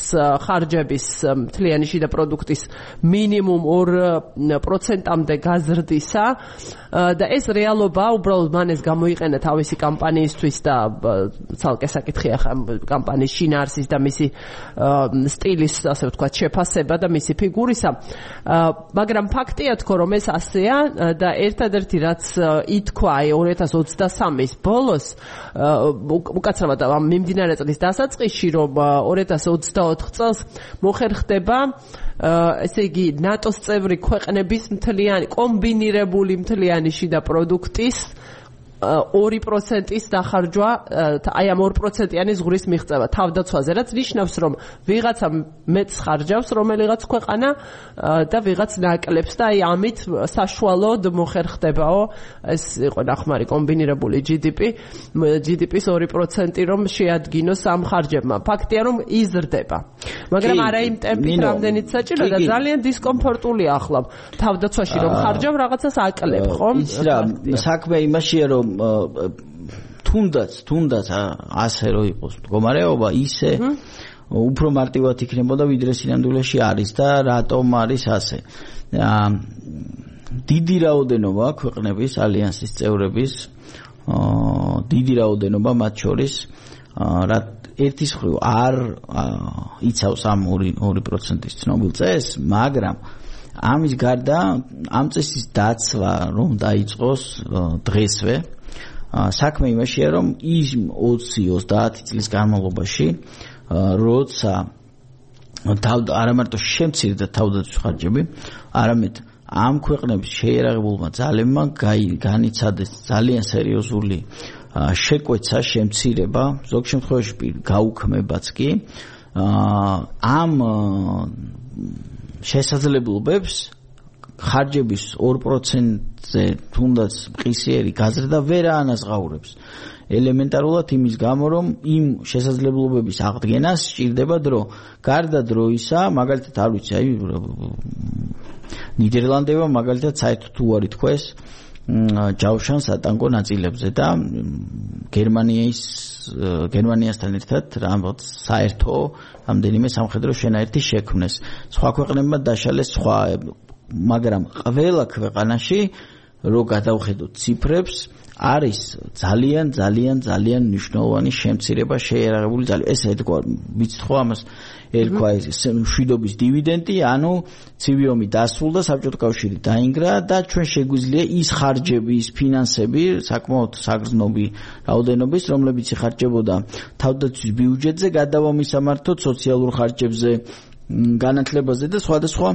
Speaker 1: ხარჯების მთლიანი შიდა პროდუქტის მინიმუმ ორ პროცენტამდე გაზრდისა და ეს რეალობა უბრალოდ მან ეს გამოიყენა თავისი კამპანიისთვის და ცალკე საკითხია ხა კამპანიის შინაარსის და მისი სტილის ასე ვთქვათ შეფასება და მისი ფიგურისა მაგრამ ფაქტია თქო რომ ეს ასეა და ერთადერთი რაც ითქვა აი ორი ათას ოცდასამის ბოლოს უკაცრავად ამ მიმდინარე წლის დასაწყისში რომ ორი ათას ოცდაოთხ წელს მოხერხდება ესე იგი ნატოს წევრი ქვეყნების მთლიანი კომბინირებული მთლიანი შიდა პროდუქტის ორი პროცენტის დახარჯვა აი ამ ორ პროცენტიანი ზღურის მიღწევა თავდაცვაზე რაც ნიშნავს რომ ვიღაცა მეც ხარჯავს რომელიღაც ქვეყანა და ვიღაც ნაკლებს და აი ამით საშუალოდ მოხერხდებაო ეს იყო ნახმარი კომბინირებული ჯი დი პი ჯი დი პის ორი პროცენტი რომ შეადგინოს ამ ხარჯებმა ფაქტია რომ იზრდება მაგრამ არა იმ ტემპით რამდენიც საჭირო და ძალიან დისკომფორტულია ახლა თავდაცვაში რომ ხარჯავ რაღაცას აკლებ ხო
Speaker 2: ის რა საქმე იმაშია რომ თუნდაც თუნდაც ასე რო იყოს მდგომარეობა ისე უფრო მარტივად იქნებოდა ვიდრე სინამდვილეში არის და რატომ არის ასე დიდი რაოდენობა ქვეყნების ალიანსის წევრების დიდი რაოდენობა მათ შორის რა ერთის მხრივ არ იცავს ამ ორი პროცენტის ცნობილ წესს მაგრამ ამის გარდა ამ წესის დაცვა რომ დაიწყოს დღესვე საქმე იმაშია რომ იმ ოცი ოცდაათი წლის განმავლობაში როცა არა მარტო შემცირდა თავდაცვის ხარჯები არამედ ამ ქვეყნების შეიარაღებულმა ძალებმა განიცადეს ძალიან სერიოზული შეკვეცა შემცირება ზოგ შემთხვევაში გაუქმებაც კი ამ შესაძლებლობებს ხარჯების ორ პროცენტზე თუნდაც მყისიერი გაზრდა ვერ აანაზღაურებს ელემენტარულად იმის გამო რომ იმ შესაძლებლობების აღდგენას სჭირდება დრო გარდა დროისა მაგალითად არ ვიცი აი ნიდერლანდებმა მაგალითად საერთოდ უარი თქვეს ჯავშანს ატანკო ნაწილებზე და გერმანიის გერმანიასთან ერთად რაღაც საერთო რამდენიმე სამხედრო შენაერთი შექმნეს სხვა ქვეყნებმა დაშალეს სხვა მაგრამ ყველა ქვეყანაში რო გადავხედოთ ციფრებს არის ძალიან ძალიან ძალიან მნიშვნელოვანი შემცირება შეიარაღებული ძალები ეს ეთქვა ვიცით ხო ამას ერქვა ეს მშვიდობის დივიდენდი ანუ ცივი ომი დასრულდა საბჭოთა კავშირი დაინგრა და ჩვენ შეგვიძლია ის ხარჯები ის ფინანსები საკმაოდ საგრძნობი რაოდენობის რომლებიც იხარჯებოდა თავდაცვის ბიუჯეტზე გადავამისამართოთ სოციალურ ხარჯებზე განათლებაზე და სხვადასხვა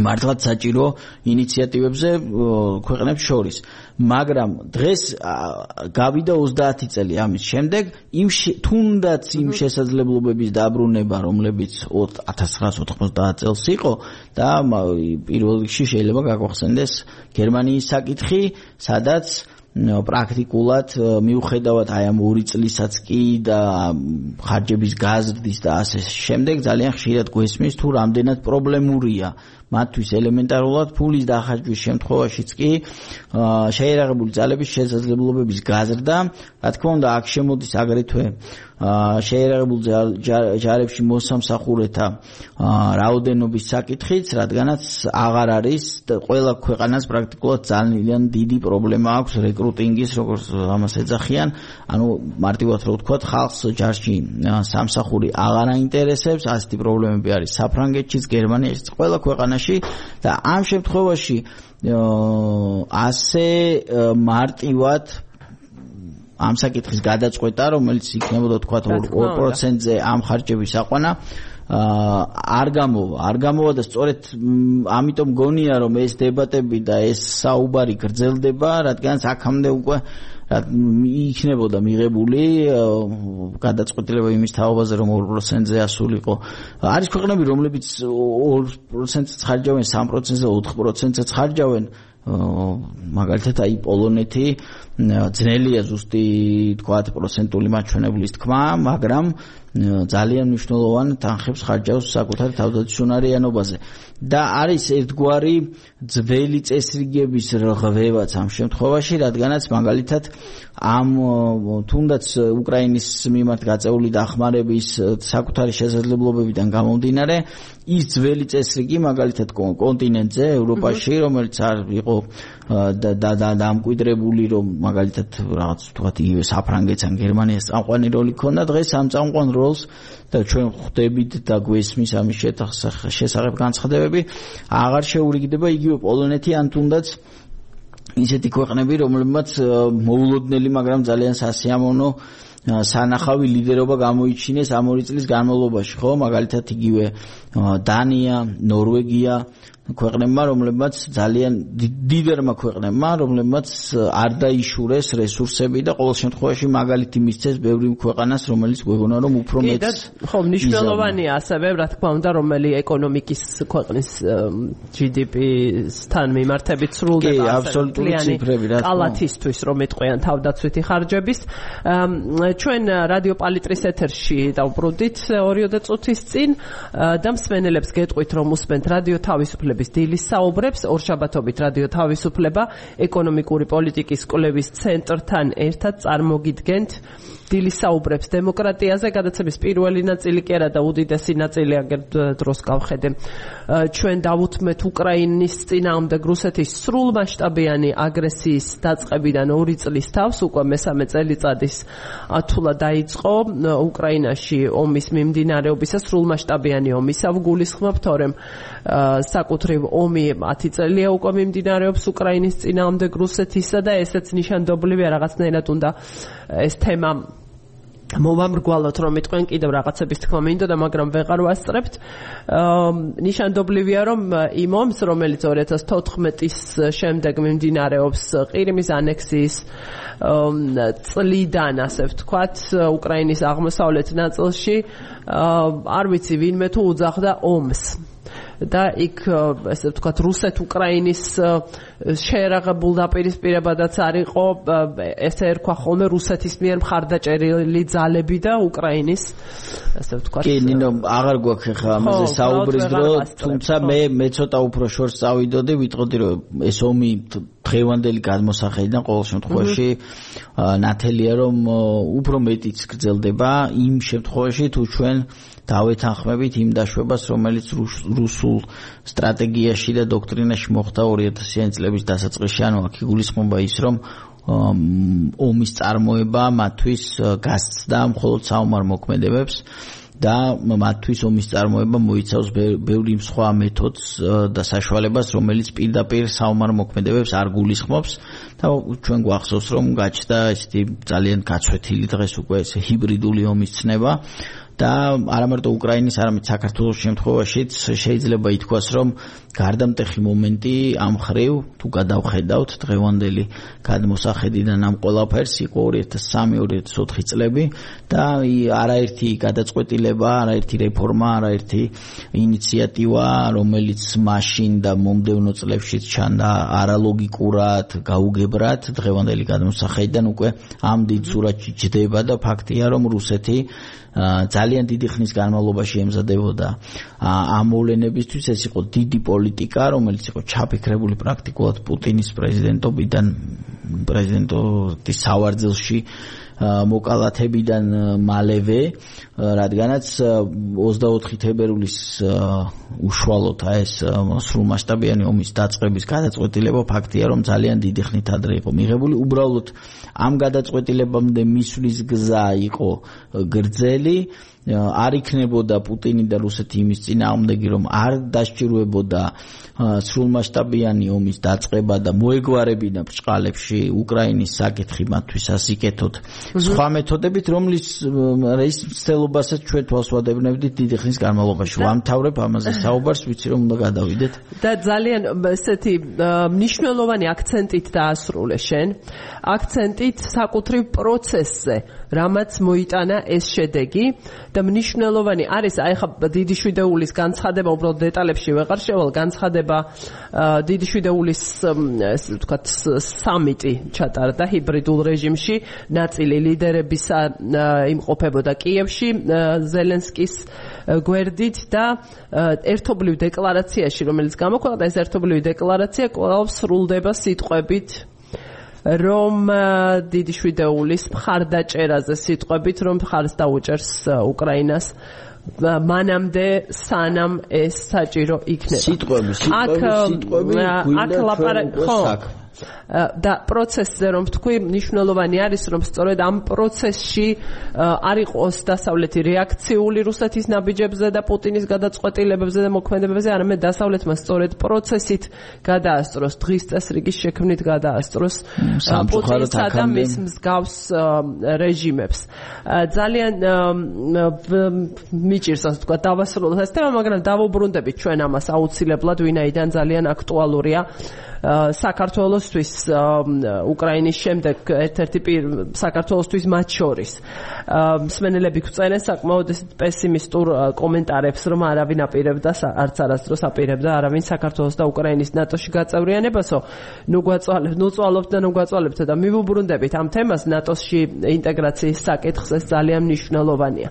Speaker 2: მართლაც საჭირო ინიციატივებზე ქვეყნებს შორის მაგრამ დღეს გავიდა ოცდაათი წელი ამის შემდეგ იმ თუნდაც იმ შესაძლებლობების დაბრუნება რომლებიც ათას ცხრაასა ოთხმოცდაათ წელს იყო და პირველ რიგში შეიძლება გაგვახსენდეს გერმანიის საკითხი სადაც პრაქტიკულად მიუხედავად აი ამ ორი წლისაც კი და ხარჯების გაზრდის და ასე შემდეგ ძალიან ხშირად გვესმის თუ რამდენად პრობლემურია მათთვის ელემენტარულად ფულის დახარჯვის შემთხვევაშიც კი შეიარაღებული ძალების შესაძლებლობების გაზრდა რა თქმა უნდა აქ შემოდის აგრეთვე შეიარაღებულ ჯარებში მოსამსახურეთა რაოდენობის საკითხიც რადგანაც აღარ არის ყველა ქვეყანას პრაქტიკულად ძალიან დიდი პრობლემა აქვს რეკრუტინგის როგორც ამას ეძახიან ანუ მარტივად რო ვთქვათ ხალხს ჯარში სამსახური აღარ აინტერესებს ასეთი პრობლემები არის საფრანგეთშიც გერმანიაშიც ყველა ქვეყანაში და ამ შემთხვევაში ასე მარტივად ამ საკითხის გადაწყვეტა რომელიც იქნებოდა თქვა ორ პროცენტზე ამ ხარჯების აყვანა არ გამოვა არ გამოვა და სწორედ ამიტომ გონია რომ ეს დებატები და ეს საუბარი გრძელდება რადგანაც აქამდე უკვე იქნებოდა მიღებული გადაწყვეტილება იმის თაობაზე რომ ორ პროცენტზე ასულიყო არის ქვეყნები რომლებიც ორ პროცენტს ხარჯავენ სამ პროცენტზე ოთხ პროცენტს ხარჯავენ მაგალითად აი პოლონეთი ძნელია ზუსტი თქვათ პროცენტული მაჩვენებლის თქმა, მაგრამ ძალიან მნიშვნელოვან თანხებს ხარჯავს საკუთარ თავდაცვიანობაზე და არის ერთგვარი ძველი წესრიგების რღვევაც ამ შემთხვევაში, რადგანაც მაგალითად ამ თუნდაც უკრაინის მიმართ გაწეული დახმარების საკუთარი შესაძლებლობებიდან გამომდინარე ის ძველი წესრიგი მაგალითად კონტინენტზე ევროპაში რომელიც არ იყო დამკვიდრებული რომ მაგალითად რაღაც თქვათ იგივე საფრანგეთს ან გერმანიას წამყვანი როლი ქონდა დღეს ამ წამყვან როლს და ჩვენ ხვდებით და გვესმის ამის შესახებ განცხადებები აღარ შეურიგდება იგივე პოლონეთი ან თუნდაც ისეთი ქვეყნები რომლებმაც მოულოდნელი მაგრამ ძალიან სასიამოვნო სანახავი ლიდერობა გამოიჩინეს ამ ორი წლის განმავლობაში ხო მაგალითად იგივე დანია ნორვეგია ქვეყნებმა რომლებმაც ძალიან დიდერმა ქვეყნებმა რომლებმაც არ დაიშურეს რესურსები და ყოველ შემთხვევაში მაგალითი მისცეს ბევრი ქვეყანას რომელიც გვეგონა რომ უფრო მეტს
Speaker 1: ხო მნიშვნელოვანია ასევე რა თქმა უნდა რომელი ეკონომიკის ქვეყნის ჯი დი პი-სთან მიმართებით სრულდება
Speaker 2: აბსოლუტური ციფრები რა
Speaker 1: კალათისთვის რომ იტყვიან თავდაცვითი ხარჯების ჩვენ რადიო პალიტრის ეთერში დავბრუნდით ორიოდე წუთის წინ და მსმენელებს გეტყვით რომ უსმენთ რადიო თავისუფლება დილის საუბრებს ორშაბათობით რადიო თავისუფლება ეკონომიკური პოლიტიკის კვლევის ცენტრთან ერთად წარმოგიდგენთ დილის საუბრებს დემოკრატიაზე გადაცემის პირველი ნაწილი კი არა და უდიდესი ნაწილი აგერ დროს გავხედე ჩვენ დავუთმეთ უკრაინის წინააღმდეგ რუსეთის სრულმასშტაბიანი აგრესიის დაწყებიდან ორი წლის თავს უკვე მესამე წელიწადის ათულა დაიწყო უკრაინაში ომის მიმდინარეობისა სრულმასშტაბიანი ომისა გულისხმობ თორემ საკუთრივ ომი ათი წელია უკვე მიმდინარეობს უკრაინის წინააღმდეგ რუსეთისა და ესეც ნიშანდობლივია რაღაცნაირად უნდა ეს თემა მოვამრგვალოთ რომ იტყვენ კიდევ რაღაცების თქმა მინდოდა მაგრამ ვეღარ ვასწრებთ ნიშანდობლივია რომ იმ ომს რომელიც ორი ათას თოთხმეტის შემდეგ მიმდინარეობს ყირიმის ანექსიის წლიდან ასე ვთქვათ უკრაინის აღმოსავლეთ ნაწილში არ ვიცი ვინმე თუ უძახდა ომს და იქ ესე ვთქვათ რუსეთ-უკრაინის შეერაღებულ დაპირისპირებადაც არ იყო ესე ერქვა ხოლმე რუსეთის მიერ მხარდაჭერილი ძალები და უკრაინის ესე ვთქვათ
Speaker 2: კი ნინო აღარ გვაქვს ხა ამაზე საუბრის დრო თუმცა მე მე ცოტა უფრო შორს წავიდოდი ვიტყოდი რომ ეს ომი დღევანდელი გადმოსახედიდან ყოველ შემთხვევაში ნათელია რომ უფრო მეტიც გრძელდება იმ შემთხვევაში თუ ჩვენ დავეთანხმებით იმ დაშვებას რომელიც რუსულ სტრატეგიაში და დოქტრინაში მოხდა ორი ათასიანი წლების დასაწყისში ანუ აქ იგულისხმება ის რომ ომის წარმოება მათთვის გასცდა მხოლოდ საომარ მოქმედებებს და მათთვის ომის წარმოება მოიცავს ბევრი სხვა მეთოდს და საშუალებას რომელიც პირდაპირ საომარ მოქმედებებს არ გულისხმობს და ჩვენ გვახსოვს რომ გაჩნდა ესეთი ძალიან გაცვეთილი დღეს უკვე ეს ჰიბრიდული ომის ცნება და არა მარტო უკრაინის, არამედ საქართველოს შემთხვევაშიც შეიძლება ითქვას, რომ გარდამტეხი მომენტი ამ ხრივ თუ გადავხედავთ დღევანდელი გადმოსახედიდან ამ ყველაფერს იყო ორი ათას სამი ორი ათას ოთხი წლები და არაერთი გადაწყვეტილება, არაერთი რეფორმა, არაერთი ინიციატივა, რომელიც მაშინ და მომდევნო წლებშიც ჩანდა არალოგიკურად, გაუგებრად დღევანდელი გადმოსახედიდან უკვე ამ დიდ სურათში ჯდება და ფაქტია, რომ რუსეთი ძალიან დიდი ხნის განმავლობაში ემზადებოდა ამ მოვლენებისთვის ეს იყო დიდი პოლიტიკა რომელიც იყო ჩაფიქრებული პრაქტიკულად პუტინის პრეზიდენტობიდან პრეზიდენტობის სავარძელში მოკალათებიდან მალევე რადგანაც ოცდაოთხი თებერვლის უშუალოდ ეს სრულმასშტაბიანი ომის დაწყების გადაწყვეტილება ფაქტია რომ ძალიან დიდი ხნით ადრე იყო მიღებული უბრალოდ ამ გადაწყვეტილებამდე მისვლის გზა იყო გრძელი არ იქნებოდა პუტინი და რუსეთი იმის წინააღმდეგი რომ არ დასჭირვებოდა სრულმასშტაბიანი ომის დაწყება და მოეგვარებინა ბრჭყალებში უკრაინის საკითხი მათთვის ასიკეთოთ სხვა მეთოდებით, რომლის რის მცდელობასაც ჩვენ თვალს ვადევნებდით დიდი ხნის განმავლობაში. ვამთავრებ ამაზე საუბარს, ვიცი რომ უნდა გადავიდეთ.
Speaker 1: და ძალიან ესეთი მნიშვნელოვანი აქცენტით დაასრულე შენ. აქცენტით საკუთრივ პროცესზე, რამაც მოიტანა ეს შედეგი და მნიშვნელოვანი არის აი ხა დიდი შვიდეულის განცხადება, უბრალოდ დეტალებში ვეღარ შევალ, განცხადება დიდი შვიდეულის ესე ვთქვათ სამიტი ჩატარდა ჰიბრიდულ რეჟიმში, ნაწილი ლიდერებისა იმყოფებოდა კიევში ზელენსკის გვერდით და ერთობლივ დეკლარაციაში, რომელიც გამოქვეყნდა, ეს ერთობლივი დეკლარაცია კვლავ სრულდება სიტყვებით რომ დიდი შვიდეულის მხარდაჭერაზე სიტყვებით, რომ მხარს დაუჭერს უკრაინას მანამდე სანამ ეს საჭირო იქნება.
Speaker 2: სიტყვები, სიტყვები, სიტყვები,
Speaker 1: აქ ლაპარაკი ხო და პროცესზე რომ თქვი, მნიშვნელოვანი არის რომ სწორედ ამ პროცესში არ იყოს დასავლეთი რეაქციული რუსეთის ნაბიჯებზე და პუტინის გადაწყვეტილებებზე და მოქმედებებზე, არამედ დასავლეთმა სწორედ პროცესით გადაასწროს, დღის წესრიგის შექმნით გადაასწროს პუტინსა და მის მსგავს რეჟიმებს. ძალიან მიჭირს ასე ვთქვათ დავასრულოთ ეს თემა, მაგრამ დავუბრუნდებით ჩვენ ამას აუცილებლად, ვინაიდან ძალიან აქტუალურია საქართველოსთვის უკრაინის შემდეგ ერთ-ერთი საქართველოსთვის მათ შორის. მსმენელები გვწერენ საკმაოდ პესიმისტურ კომენტარებს, რომ არავინ აპირებდა, არც არასდროს აპირებდა არავინ საქართველოს და უკრაინის ნატოში გაწევრიანებასო. ნუ გვაწვალებთ, ნუ წვალობთ და ნუ გვაწვალებთ და მივუბრუნდებით ამ თემას, ნატოში ინტეგრაციის საკითხს, ეს ძალიან მნიშვნელოვანია.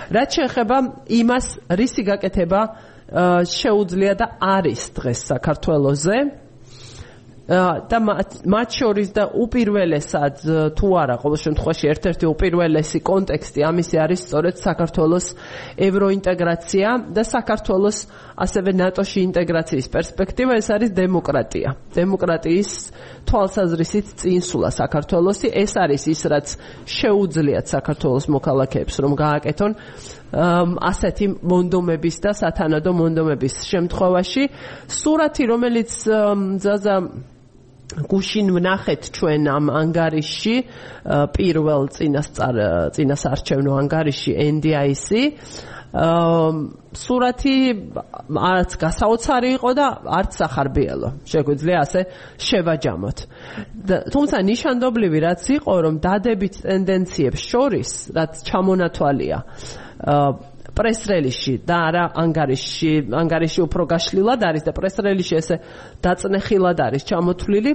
Speaker 1: რაც შეეხება იმას, რისი გაკეთება შეუძლია და არის დღეს საქართველოზე და მათ შორის და უპირველესად თუ არა, ყოველ შემთხვევაში ერთ-ერთი უპირველესი კონტექსტი ამისი არის სწორედ საქართველოს ევროინტეგრაცია და საქართველოს ასევე ნატოში ინტეგრაციის პერსპექტივა, ეს არის დემოკრატია. დემოკრატიის თვალსაზრისით წინსულა საქართველოსი, ეს არის ის, რაც შეუძლიათ საქართველოს მოქალაქეებს რომ გააკეთონ ასეთი მონდომების და სათანადო მონდომების შემთხვევაში. სურათი, რომელიც ზაზა გუშინ ვნახეთ ჩვენ ამ ანგარიშში, პირველ წინასწარ წინასარჩევნო ანგარიშში ენ დი აი სი, სურათი არც გასაოცარი იყო და არც სახარბიელო. შეგვიძლია ასე შევაჯამოთ. თუმცა ნიშანდობლივი რაც იყო, რომ დადებით ტენდენციებს შორის, რაც ჩამონათვალია პრესრელიში და არა ანგარიშში, ანგარიში უფრო გაშლილად არის და პრესრელიში ესე დაწნეხილად არის ჩამოთვლილი.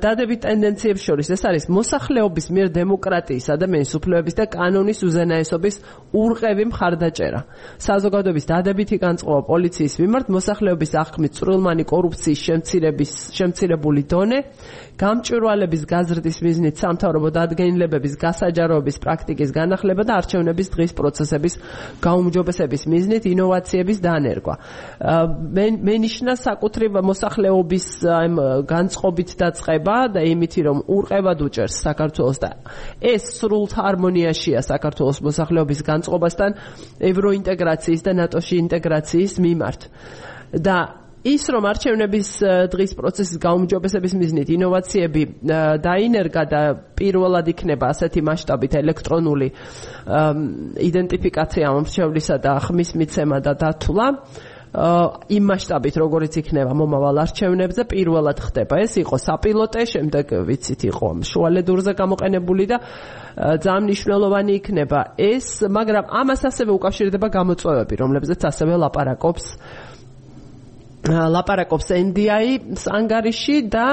Speaker 1: დადებით ტენდენციებს შორის ეს არის მოსახლეობის მიერ დემოკრატიის, ადამიანის უფლებების და კანონის უზენაესობის ურყევი მხარდაჭერა. საზოგადოების დადებითი განწყობა პოლიციის მიმართ, მოსახლეობის აღქმით წვრილმანი კორუფციის შემცირების შემცირებული დონე, გამჭვირვალების გაზრდის მიზნით სამთავრობო დადგენილებების გასაჯაროების პრაქტიკის განახლება და არჩევნების დღის პროცესების გაუმჯობესების მიზნით ინოვაციების დანერგვა. მენიშნა საკუთრივ მოსახლეობის განწყობით დაწყება და იმითი რომ ურყევად უჭერს საქართველოს და ეს სრულად ჰარმონიაშია საქართველოს მოსახლეობის განწყობასთან ევროინტეგრაციის და ნატოში ინტეგრაციის მიმართ. და ის რომ არჩევნების დღის პროცესის გაუმჯობესების მიზნით ინოვაციები დაინერგა და პირველად იქნება ასეთი მასშტაბით ელექტრონული იდენტიფიკაცია მომრჩევლისა და ხმის მიცემა და დათვლა, იმ მასშტაბით როგორიც იქნება მომავალ არჩევნებზე პირველად ხდება. ეს იყო საპილოტე, შემდეგ ვიცით იყო შუალედურზე გამოყენებული და ძალიან მნიშვნელოვანი იქნება ეს, მაგრამ ამას ასევე უკავშირდება გამოწვევები, რომლებზეც ასევე ლაპარაკობს ლაპარაკობს ენ დი აი-ის ანგარიში და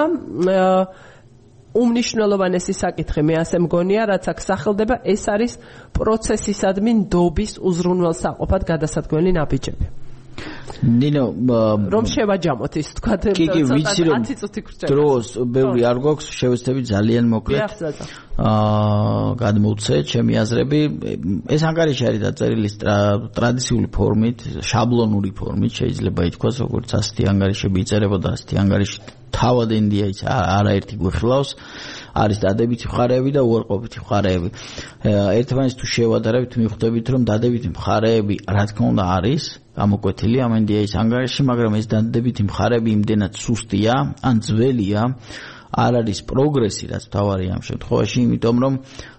Speaker 1: უმნიშვნელოვანესი საკითხი მე ასე მგონია, რაც აქ სახელდება, ეს არის პროცესისადმი ნდობის უზრუნველსაყოფად გადასადგმელი ნაბიჯები. ნინო, რომ შევაჯამოთ ის თქვა ათი წუთი გრჩება.
Speaker 2: დროს ბევრი არ გვაქვს, შევეცდები ძალიან მოკლედ. აა გადმოვცე ჩემი აზრები. ეს ანგარიში არის დაწერილი ტრადიციული ფორმით, შაბლონური ფორმით, შეიძლება ითქვას, როგორც ასეთი ანგარიშები იწერებოდა, ასეთი ანგარიში თავად ენ დი აი-ს არაერთი გვიხილავს. არის დადებითი მხარეები და უარყოფითი მხარეები. ერთმანეთს თუ შევადარებით, მიხვდებით, რომ დადებითი მხარეები, რა თქმა უნდა, არის გამოკვეთილი ამ ენ დი აი-ის ანგარიში, მაგრამ ეს დადებითი მხარეები იმდენად სუსტია, ან ძველია, არ არის პროგრესი, რაც თავარია ამ შემთხვევაში, იმიტომ რომ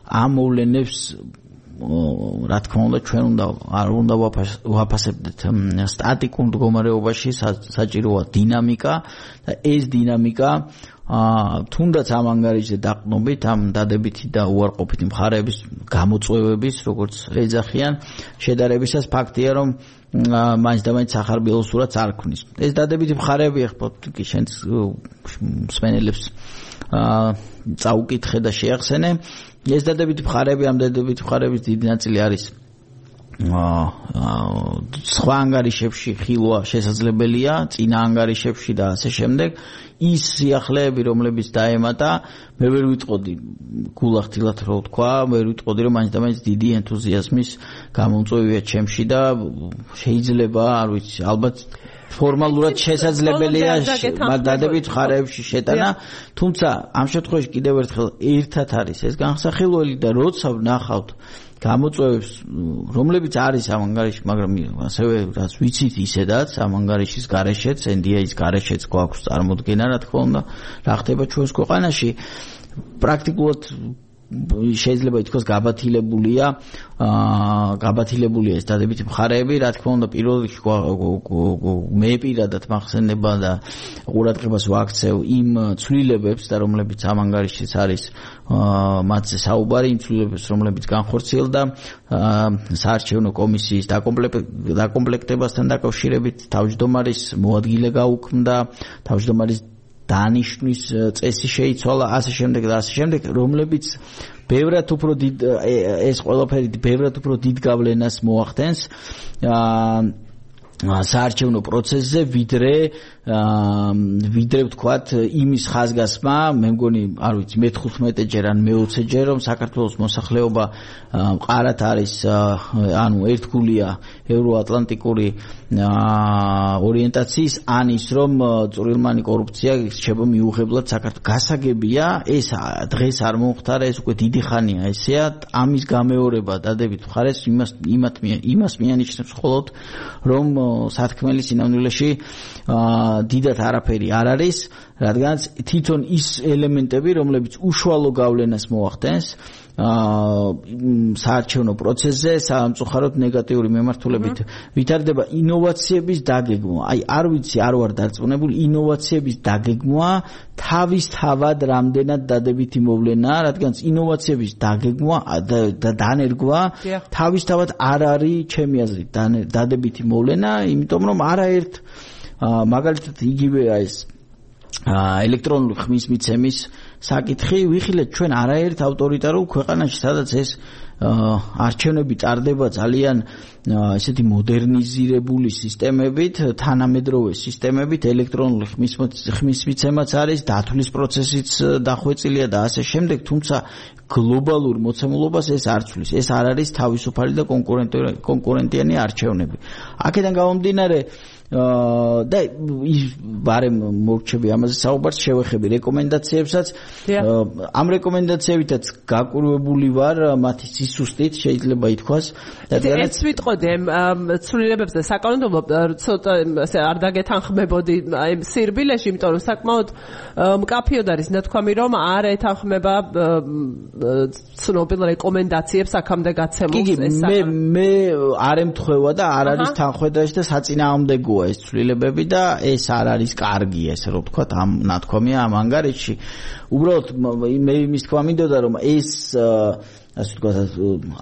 Speaker 2: ამ მოვლენებს რა თქმა უნდა ჩვენ უნდა არ უნდა ვაფასებდეთ სტატიკურ მდგომარეობაში, საჭიროა დინამიკა და ეს დინამიკა თუნდაც ამ ანგარიშზე დაყრდნობით ამ დადებითი და უარყოფითი მხარეების გამოწვევების, როგორც ეძახიან, შედარებისას ფაქტია, რომ მაინც და მაინც სახარბიელო სურათს არ ქმნის. ეს დადებითი მხარეები ახლა კი შენს მსმენელებს წაუკითხე და შეახსენე. ეს დადებითი მხარეები, ამ დადებითი მხარეების დიდი ნაწილი არის სხვა ანგარიშებში ხილვა შესაძლებელია, წინა ანგარიშებში და ასე შემდეგ. ის სიახლეები, რომლებიც დაემატა, მე ვერ ვიტყოდი გულახდილად რო ვთქვა, ვერ ვიტყოდი რომ მაინც და მაინც დიდი ენთუზიაზმის გამომწვევია ჩემში და შეიძლება, არ ვიცი, ალბათ ფორმალურად შესაძლებელია დადებით მხარეებში შეტანა, თუმცა ამ შემთხვევაში კიდევ ერთხელ ერთად არის ეს განსახილველი და როცა ვნახავთ გამოწვევებს, რომლებიც არის ამ ანგარიში, მაგრამ ასევე რაც ვიცით ისედაც ამ ანგარიშის გარეშეც, ენ დი ეის გარეშეც გვაქვს წარმოდგენა, რა თქმა უნდა, რა ხდება ჩვენს ქვეყანაში, პრაქტიკულად შეიძლება ითქვას გაბათილებულია, გაბათილებულია ეს დადებითი მხარეები, რა თქმა უნდა, პირველ რიგში მე პირადად მახსენდება და ყურადღებას ვაქცევ იმ ცვლილებებს და რომლებიც ამ ანგარიშის არის მათზე საუბარი, იმ ცვლილებებს, რომლებიც განხორციელდა საარჩევნო კომისიის დაკომპლექტებასთან დაკავშირებით, თავმჯდომარის მოადგილე გაუქმდა, თავმჯდომარის დანიშნვის წესი შეიცვალა, ასე შემდეგ და ასე შემდეგ, რომლებიც ბევრად უფრო დიდ ეს ყველაფერი ბევრად უფრო დიდ გავლენას მოახდენს საარჩევნო პროცესზე, ვიდრე ვიდრე ვთქვათ იმის ხაზგასმა, მე მგონი, არ ვიცი, მეთხუთმეტეჯერ ან მეოცეჯერ, რომ საქართველოს მოსახლეობა მყარად არის, ანუ ერთგულია ევროატლანტიკური ორიენტაციის, ან ის რომ წვრილმანი კორუფცია რჩება მიუღებლად საქართველოს. გასაგებია, ეს დღეს არ მომხდარა, ეს უკვე დიდი ხანია ესეა, ამის გამეორება დადებით მხარეს იმას იმას მიანიშნებს მხოლოდ, რომ სათქმელი სინამდვილეში დიდად არაფერი არ არის, რადგანაც თვითონ ის ელემენტები, რომლებიც უშუალო გავლენას მოახდენს საარჩევნო პროცესზე, სამწუხაროდ ნეგატიური მიმართულებით ვითარდება ინოვაციების დაგეგმვა. აი, არ ვიცი, არ ვარ დარწმუნებული, ინოვაციების დაგეგმვა თავისთავად რამდენად დადებითი მოვლენაა, რადგანაც ინოვაციების დაგეგმვა და დანერგვა თავისთავად არ არის ჩემი აზრით დადებითი მოვლენა, იმიტომ რომ არაერთ მაგალითად იგივეა ეს ელექტრონული ხმის მიცემის საკითხი, ვიხილეთ ჩვენ არაერთ ავტორიტარულ ქვეყანაში, სადაც ეს არჩევნები ტარდება ძალიან ესეთი მოდერნიზირებული სისტემებით, თანამედროვე სისტემებით, ელექტრონული ხმის მიცემაც არის, დათვლის პროცესიც დახვეწილია და ასე შემდეგ, თუმცა გლობალურ მოცემულობას ეს არ ცვლის. ეს არ არის თავისუფალი და კონკურენტიანი არჩევნები. აქედან გამომდინარე და ბარემ მორჩები ამაზე საუბარს შევეხები რეკომენდაციებსაც. ამ რეკომენდაციებითაც გაკვირვებული ვარ მათი სისუსტით, შეიძლება ითქვას.
Speaker 1: ეს ვიტყოდი ცვლილებებზე საკანონმდებლო ცოტა არ დაგეთანხმებოდი აი სირბილეში, იმიტომ რომ საკმაოდ მკაფიოდ არის ნათქვამი, რომ არ ეთანხმება ცნობილ რეკომენდაციებს აქამდე გაცემულს ეს
Speaker 2: მე მე არ ემთხვევა და არ არის თანხმედაში და საწინააღმდეგოა ეს ცვლილებები და ეს არ არის კარგი, ესე რომ ვთქვათ, ამ ნათქვამია ამ ანგარიშში. უბრალოდ მე იმის თქვა მინდოდა, რომ ეს ასე ვთქვათ,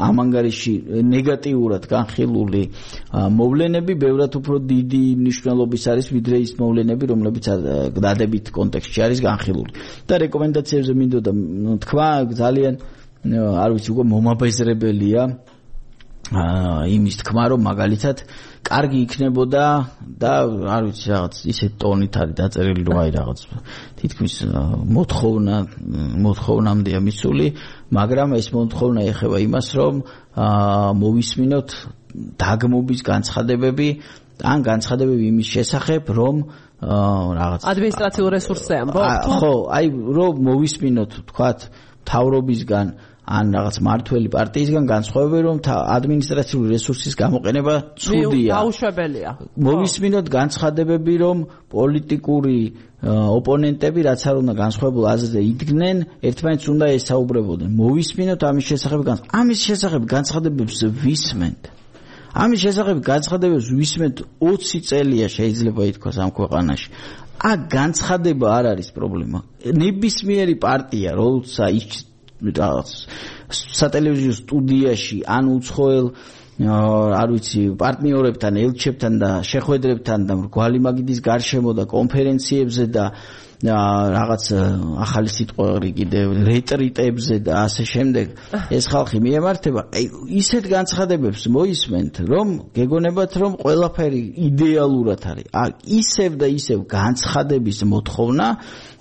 Speaker 2: ამ ანგარიში ნეგატიურად განხილული მოვლენები ბევრად უფრო დიდი მნიშვნელობის არის, ვიდრე ის მოვლენები, რომლებიც დადებით კონტექსტში არის განხილული. და რეკომენდაციებზე მინდოდა თქვა, ძალიან არ ვიცი, უკვე მომაბეზრებელია იმის თქმა, რომ მაგალითად კარგი იქნებოდა და არ ვიცი რაღაც ისეთ ტონით არის დაწერილი, რომ აი რაღაც თითქმის მოთხოვნა მოთხოვნამდეა მისული, მაგრამ ეს მოთხოვნა ეხება იმას, რომ მოვისმინოთ დაგმობის განცხადებები ან განცხადებები იმის შესახებ, რომ რაღაც
Speaker 1: ადმინისტრაციულ რესურსზე ამბობთ.
Speaker 2: ხო, აი რომ მოვისმინოთ, თქვათ, მთავრობისგან ან რაღაც მართველი პარტიისგან განსხვავებული რომ ადმინისტრაციული რესურსის გამოყენება ცუდია.
Speaker 1: დაუშვებელია.
Speaker 2: მოვისმინოთ განცხადებები რომ პოლიტიკური ოპონენტები რაც არ უნდა განსხვავებულ აზრზე იდგნენ, ერთმანეთს უნდა ესაუბრებოდნენ. მოვისმინოთ ამის შესახებ ამის შესახებ განცხადებებს ვისმენთ. ამის შესახებ განცხადებებს ვისმენთ ოცი წელია შეიძლება ითქვას ამ ქვეყანაში. აქ განცხადება არ არის პრობლემა. ნებისმიერი პარტია, როცა ის რაღაც სატელევიზიო სტუდიაში ან უცხოელ არ ვიცი პარტნიორებთან, ელჩებთან და შეხვედრებთან და მრგვალი მაგიდის გარშემო და კონფერენციებზე და რაღაც ახალი სიტყვები კიდევ რეტრიტებზე და ასე შემდეგ ეს ხალხი მიემართება. აი ისეთ განცხადებებს მოისმენთ, რომ გეგონებათ რომ ყველაფერი იდეალურად არის. აი ისევ და ისევ განცხადების მოთხოვნა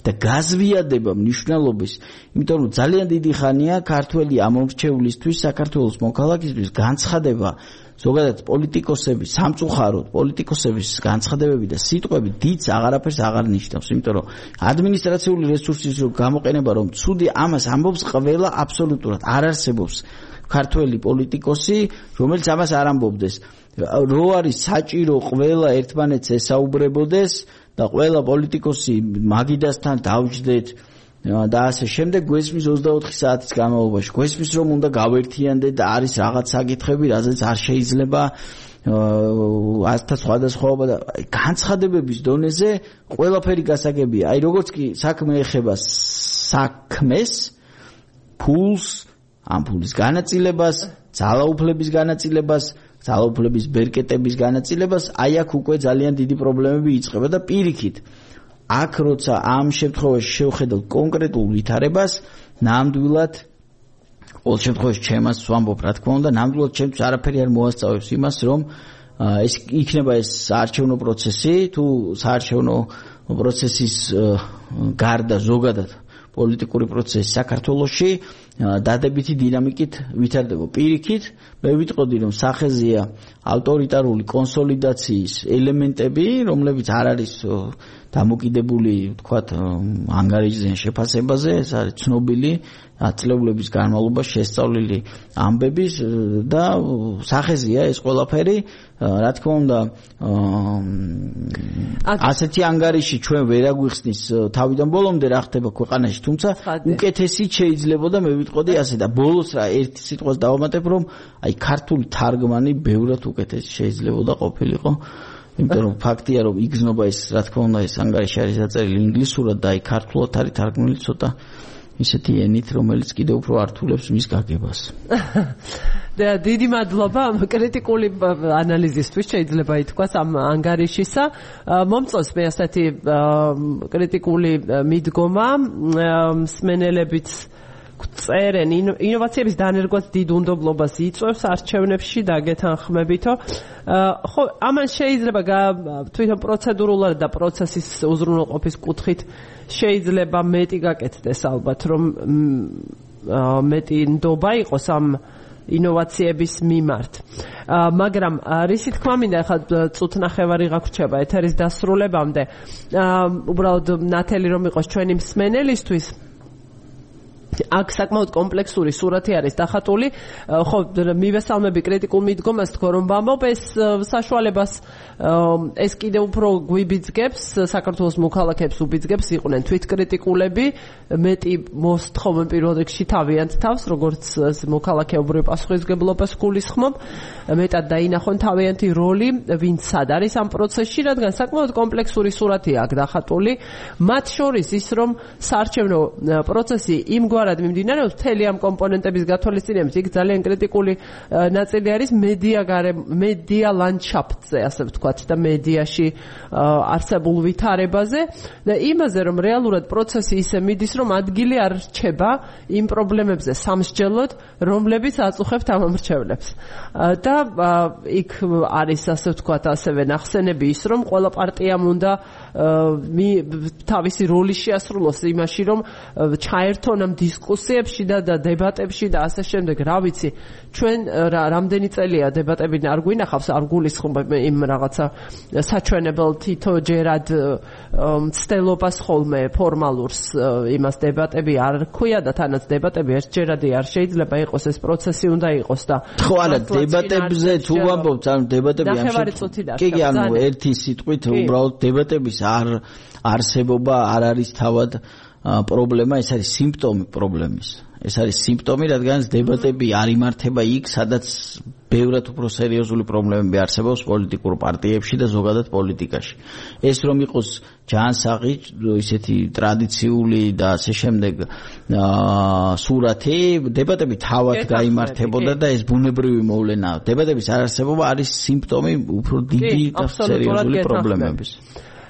Speaker 2: და გაზვიადება მნიშვნელობის, იმიტომ რომ ძალიან დიდი ხანია ქართველი ამომრჩევლისთვის, საქართველოს მოქალაქისთვის განცხადება ზოგადად პოლიტიკოსების, სამწუხაროდ პოლიტიკოსების განცხადებები და სიტყვები დიდს აღარაფერს აღარ ნიშნავს, იმიტომ რომ ადმინისტრაციული რესურსის გამოყენება რომ ცუდი, ამას ამბობს ყველა აბსოლუტურად. არ არსებობს ქართველი პოლიტიკოსი, რომელიც ამას არ ამბობდეს. რო არის საჭირო ყველა ერთმანეთს ესაუბრებოდეს და ყველა პოლიტიკოსი მაგიდასთან დავჯდეთ და ასე შემდეგ გვესმის ოცდაოთხი საათის განმავლობაში გვესმის რომ უნდა გავერთიანდეთ და არის რაღაც საკითხები, რაზეც არ შეიძლება ასთა სხვადასხვაობა და განცხადებების დონეზე ყველაფერი გასაგებია. აი როგორც კი საქმე ეხება საქმეს, ფულს, ამ ფულის განაწილებას, ძალაუფლების განაწილებას, ძალაუფლების ბერკეტების განაწილებას, აი აქ უკვე ძალიან დიდი პრობლემები იწყება და პირიქით აქ როცა ამ შემთხვევაში შევხედოთ კონკრეტულ ვითარებას, ნამდვილად ყოველ შემთხვევაში ჩემას ვამბობ რა თქმა უნდა, ნამდვილად ჩემთვის არაფერი არ მოასწავებს იმას, რომ ეს იქნება ეს საარჩევნო პროცესი, თუ საარჩევნო პროცესის გარდა ზოგადად პოლიტიკური პროცესი საქართველოში დადებითი დინამიკით ვითარდება. პირიქით, მე ვიტყოდი რომ სახეზეა ავტორიტარული კონსოლიდაციის ელემენტები, რომლებიც არ არის დამოკიდებული, ვთქვათ, ანგარიშზე შეფასებაზე, ეს არის ცნობილი ათწლეულების განმავლობაში შესწავლილი ამბების და სახეზეა ეს ყველაფერი, რა თქმა უნდა, ასეთი ანგარიში ჩვენ ვერ აგვიხსნის თავიდან ბოლომდე რა ხდება ქვეყანაში, თუმცა უკეთესი შეიძლებოდა მე ვიტყოდი ასე და ბოლოს რა ერთი სიტყვას დავამატებ, რომ აი ქართული თარგმანი ბევრად უკეთესი შეიძლებოდა ყოფილიყო. იმიტომ რომ ფაქტია რომ იგზნობა ეს რა თქმა უნდა ეს ანგარიში არის დაწერილი ინგლისურად და აი ქართულად არის თარგმნილი ცოტა ისეთი ენით, რომელიც კიდევ უფრო ართულებს მის გაგებას.
Speaker 1: და დიდი მადლობა კრიტიკული ანალიზისთვის შეიძლება ითქვას ამ ანგარიშისა. მომწონს მე ასეთი კრიტიკული მიდგომა, მსმენელებიც წერენ ინოვაციების დანერგვაც დიდ უნდობლობას იწვევს არჩევნებში დაგეთანხმებითო. ხო, ამან შეიძლება თვითონ პროცედურულად და პროცესის უზრუნველყოფის კუთხით შეიძლება მეტი გაკეთდეს ალბათ, რომ მეტი ნდობა იყოს ამ ინოვაციების მიმართ. მაგრამ რისი თქმა მინდა, ახლა წუთნახევარი გაგვრჩება ეთერის დასრულებამდე. უბრალოდ ნათელი რომ იყოს ჩვენი მსმენელისთვის, აქ საკმაოდ კომპლექსური სურათი არის დახატული. ხო, მივესალმები კრიტიკულ მიდგომას, თქო რომ ვამბობ, ეს საშუალებას ეს კიდევ უფრო გვიბიძგებს, საქართველოს მოქალაქეებს უბიძგებს იყვნენ თვითკრიტიკულები, მეტი მოსთხოვენ პირველ რიგში თავიანთ თავს, როგორც მოქალაქეობრივ პასუხისმგებლობას გულისხმობ, მეტად დაინახონ თავიანთი როლი, ვინც სად არის ამ პროცესში, რადგან საკმაოდ კომპლექსური სურათია აქ დახატული. მათ შორის ის, რომ საარჩევნო პროცესი იმგვარ მიმდინარეობს მთელი ამ კომპონენტების გათვალისწინებით, იქ ძალიან კრიტიკული ნაწილი არის მედია მედია ლანდშაფტზე, ასე ვთქვათ, და მედიაში არსებულ ვითარებაზე და იმაზე, რომ რეალურად პროცესი ისე მიდის, რომ ადგილი არ რჩება იმ პრობლემებზე სამსჯელოდ, რომლებიც აწუხებთ ამომრჩევლებს. და იქ არის, ასე ვთქვათ, ასევე ნახსენები ის, რომ ყველა პარტიამ უნდა თავისი როლი შეასრულოს იმაში, რომ ჩაერთონ ამ დისკუსიებში და დებატებში და ასე შემდეგ. რა ვიცი, ჩვენ რამდენი წელია დებატები არ გვინახავს, არ გულისხმობ იმ რაღაცა საჩვენებელ თითო ჯერად მცდელობას ხოლმე ფორმალურს იმას დებატები არ ქვია და თანაც დებატები ერთჯერადი არ შეიძლება იყოს, ეს პროცესი უნდა იყოს და
Speaker 2: ხო არა დებატებზე თუ ვამბობთ ანუ დებატები ამ შემთხვევაში კი კი ანუ ერთი სიტყვით უბრალოდ დებატების არ არსებობა არ არის თავად პრობლემა, ეს არის სიმპტომი პრობლემის. ეს არის სიმპტომი, რადგან დებატები არ იმართება იქ, სადაც ბევრად უფრო სერიოზული პრობლემები არსებობს პოლიტიკურ პარტიებში და ზოგადად პოლიტიკაში. ეს რომ იყოს ჯანსაღი, ისეთი ტრადიციული და ასე შემდეგ სურათი, დებატები თავად გაიმართებოდა და ეს ბუნებრივი მოვლენაა. დებატების არარსებობა არის სიმპტომი უფრო დიდი და სერიოზული პრობლემების.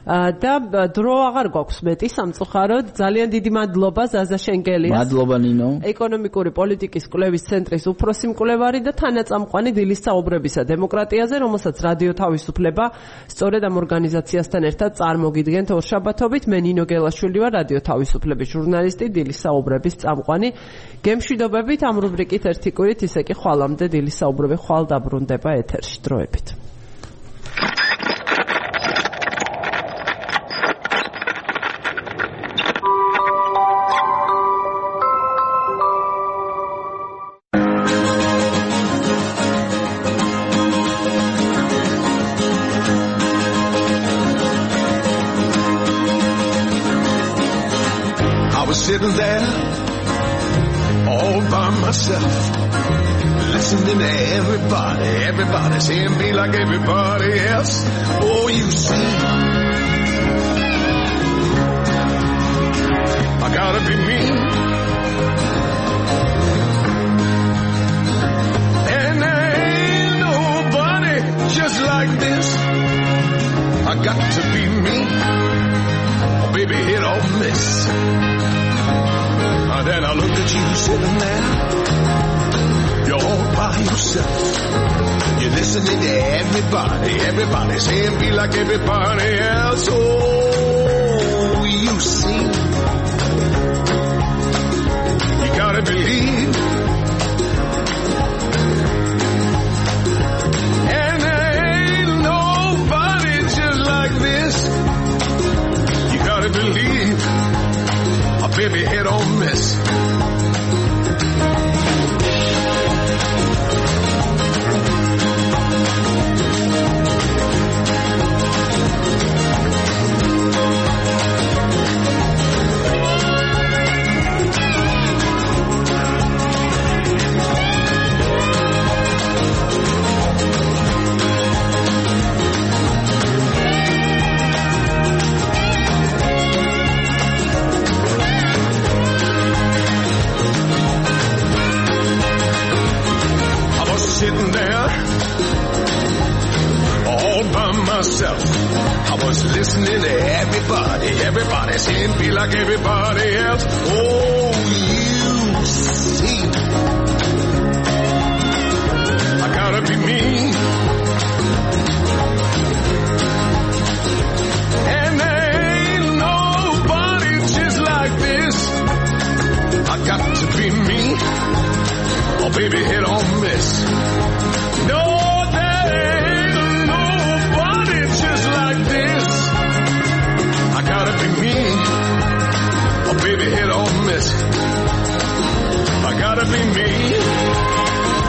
Speaker 1: და დრო აღარ გვაქვს მეტი სამწუხაროდ. ძალიან დიდი მადლობა ზაზა შენგელიას.
Speaker 2: მადლობა ნინო.
Speaker 1: ეკონომიკური პოლიტიკის კვლევის ცენტრის უფროსი მკვლევარი და თანაწამყვანი დილის საუბრებისა დემოკრატიაზე, რომელსაც რადიო თავისუფლება სწორედ ამ ორგანიზაციასთან ერთად წარმოგიდგენთ ორშაბათობით. მე ნინო გელაშვილი ვარ, რადიო თავისუფლების ჟურნალისტი, დილის საუბრების წამყვანი. გემშვიდობებით ამ რუბრიკით ერთი კვირით, ისე კი ხვალამდე დილის საუბრები ხვალ დაბრუნდება ეთერში. დროებით.
Speaker 3: Sitting there all by myself, listening to everybody, everybody saying be like everybody else. Oh, you see, I gotta be me, and there ain't nobody just like this. I got to be me, oh, baby, hit or miss. And then I look at you sitting there, you're all by yourself. You're listening to everybody, everybody saying be like everybody else. Oh, you see, you gotta believe. And there ain't nobody just like this. You gotta believe. Oh, baby, hit or miss. Sitting there all by myself, I was listening to everybody, everybody saying be like everybody else. Oh, you see, I gotta be me, and there ain't nobody just like this. I got to be me. Oh, baby, hit or miss. No, there ain't nobody just like this. I gotta be me. Oh, baby, hit or miss. I gotta be me.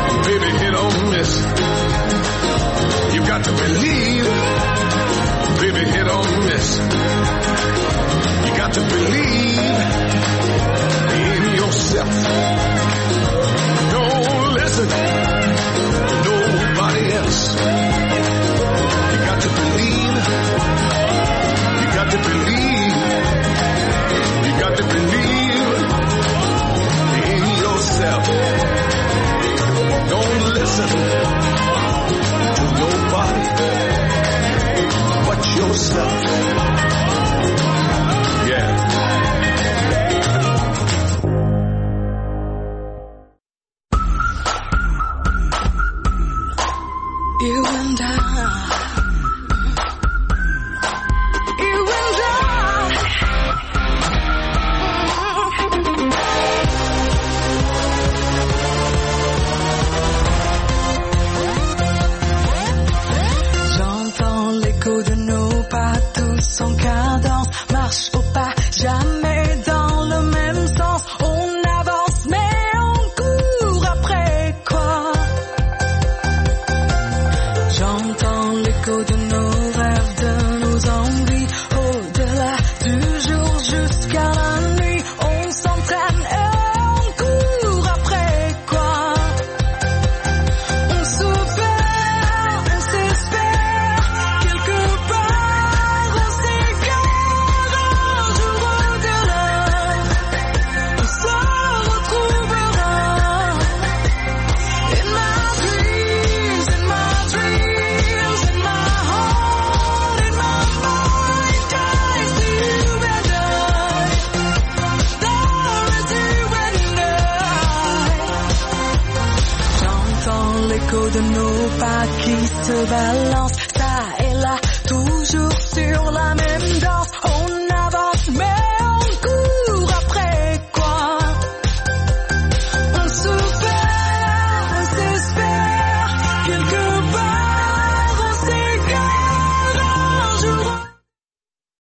Speaker 3: Oh, baby, hit or miss. You got to believe. Oh, baby, hit or miss. You got to believe in yourself. Don't listen to nobody else. You got to believe. You got to believe. You got to believe in yourself. Don't listen to nobody but yourself. Yeah.
Speaker 4: en cadence, marche au pas, jamais dans le même sens. On avance mais on court après quoi? J'entends l'écho de nos rêves, de nos envies, au-delà du jour jusqu'à la nuit. On s'entraîne et on court après quoi? On se perd, on s'espère, quelque part on s'égare. Un jour au-delà, on se retrouvera. In my dreams, in my dreams, in my heart, in my mind, I see you and I. There is you and I. J'entends l'écho de nos pas qui se balancent.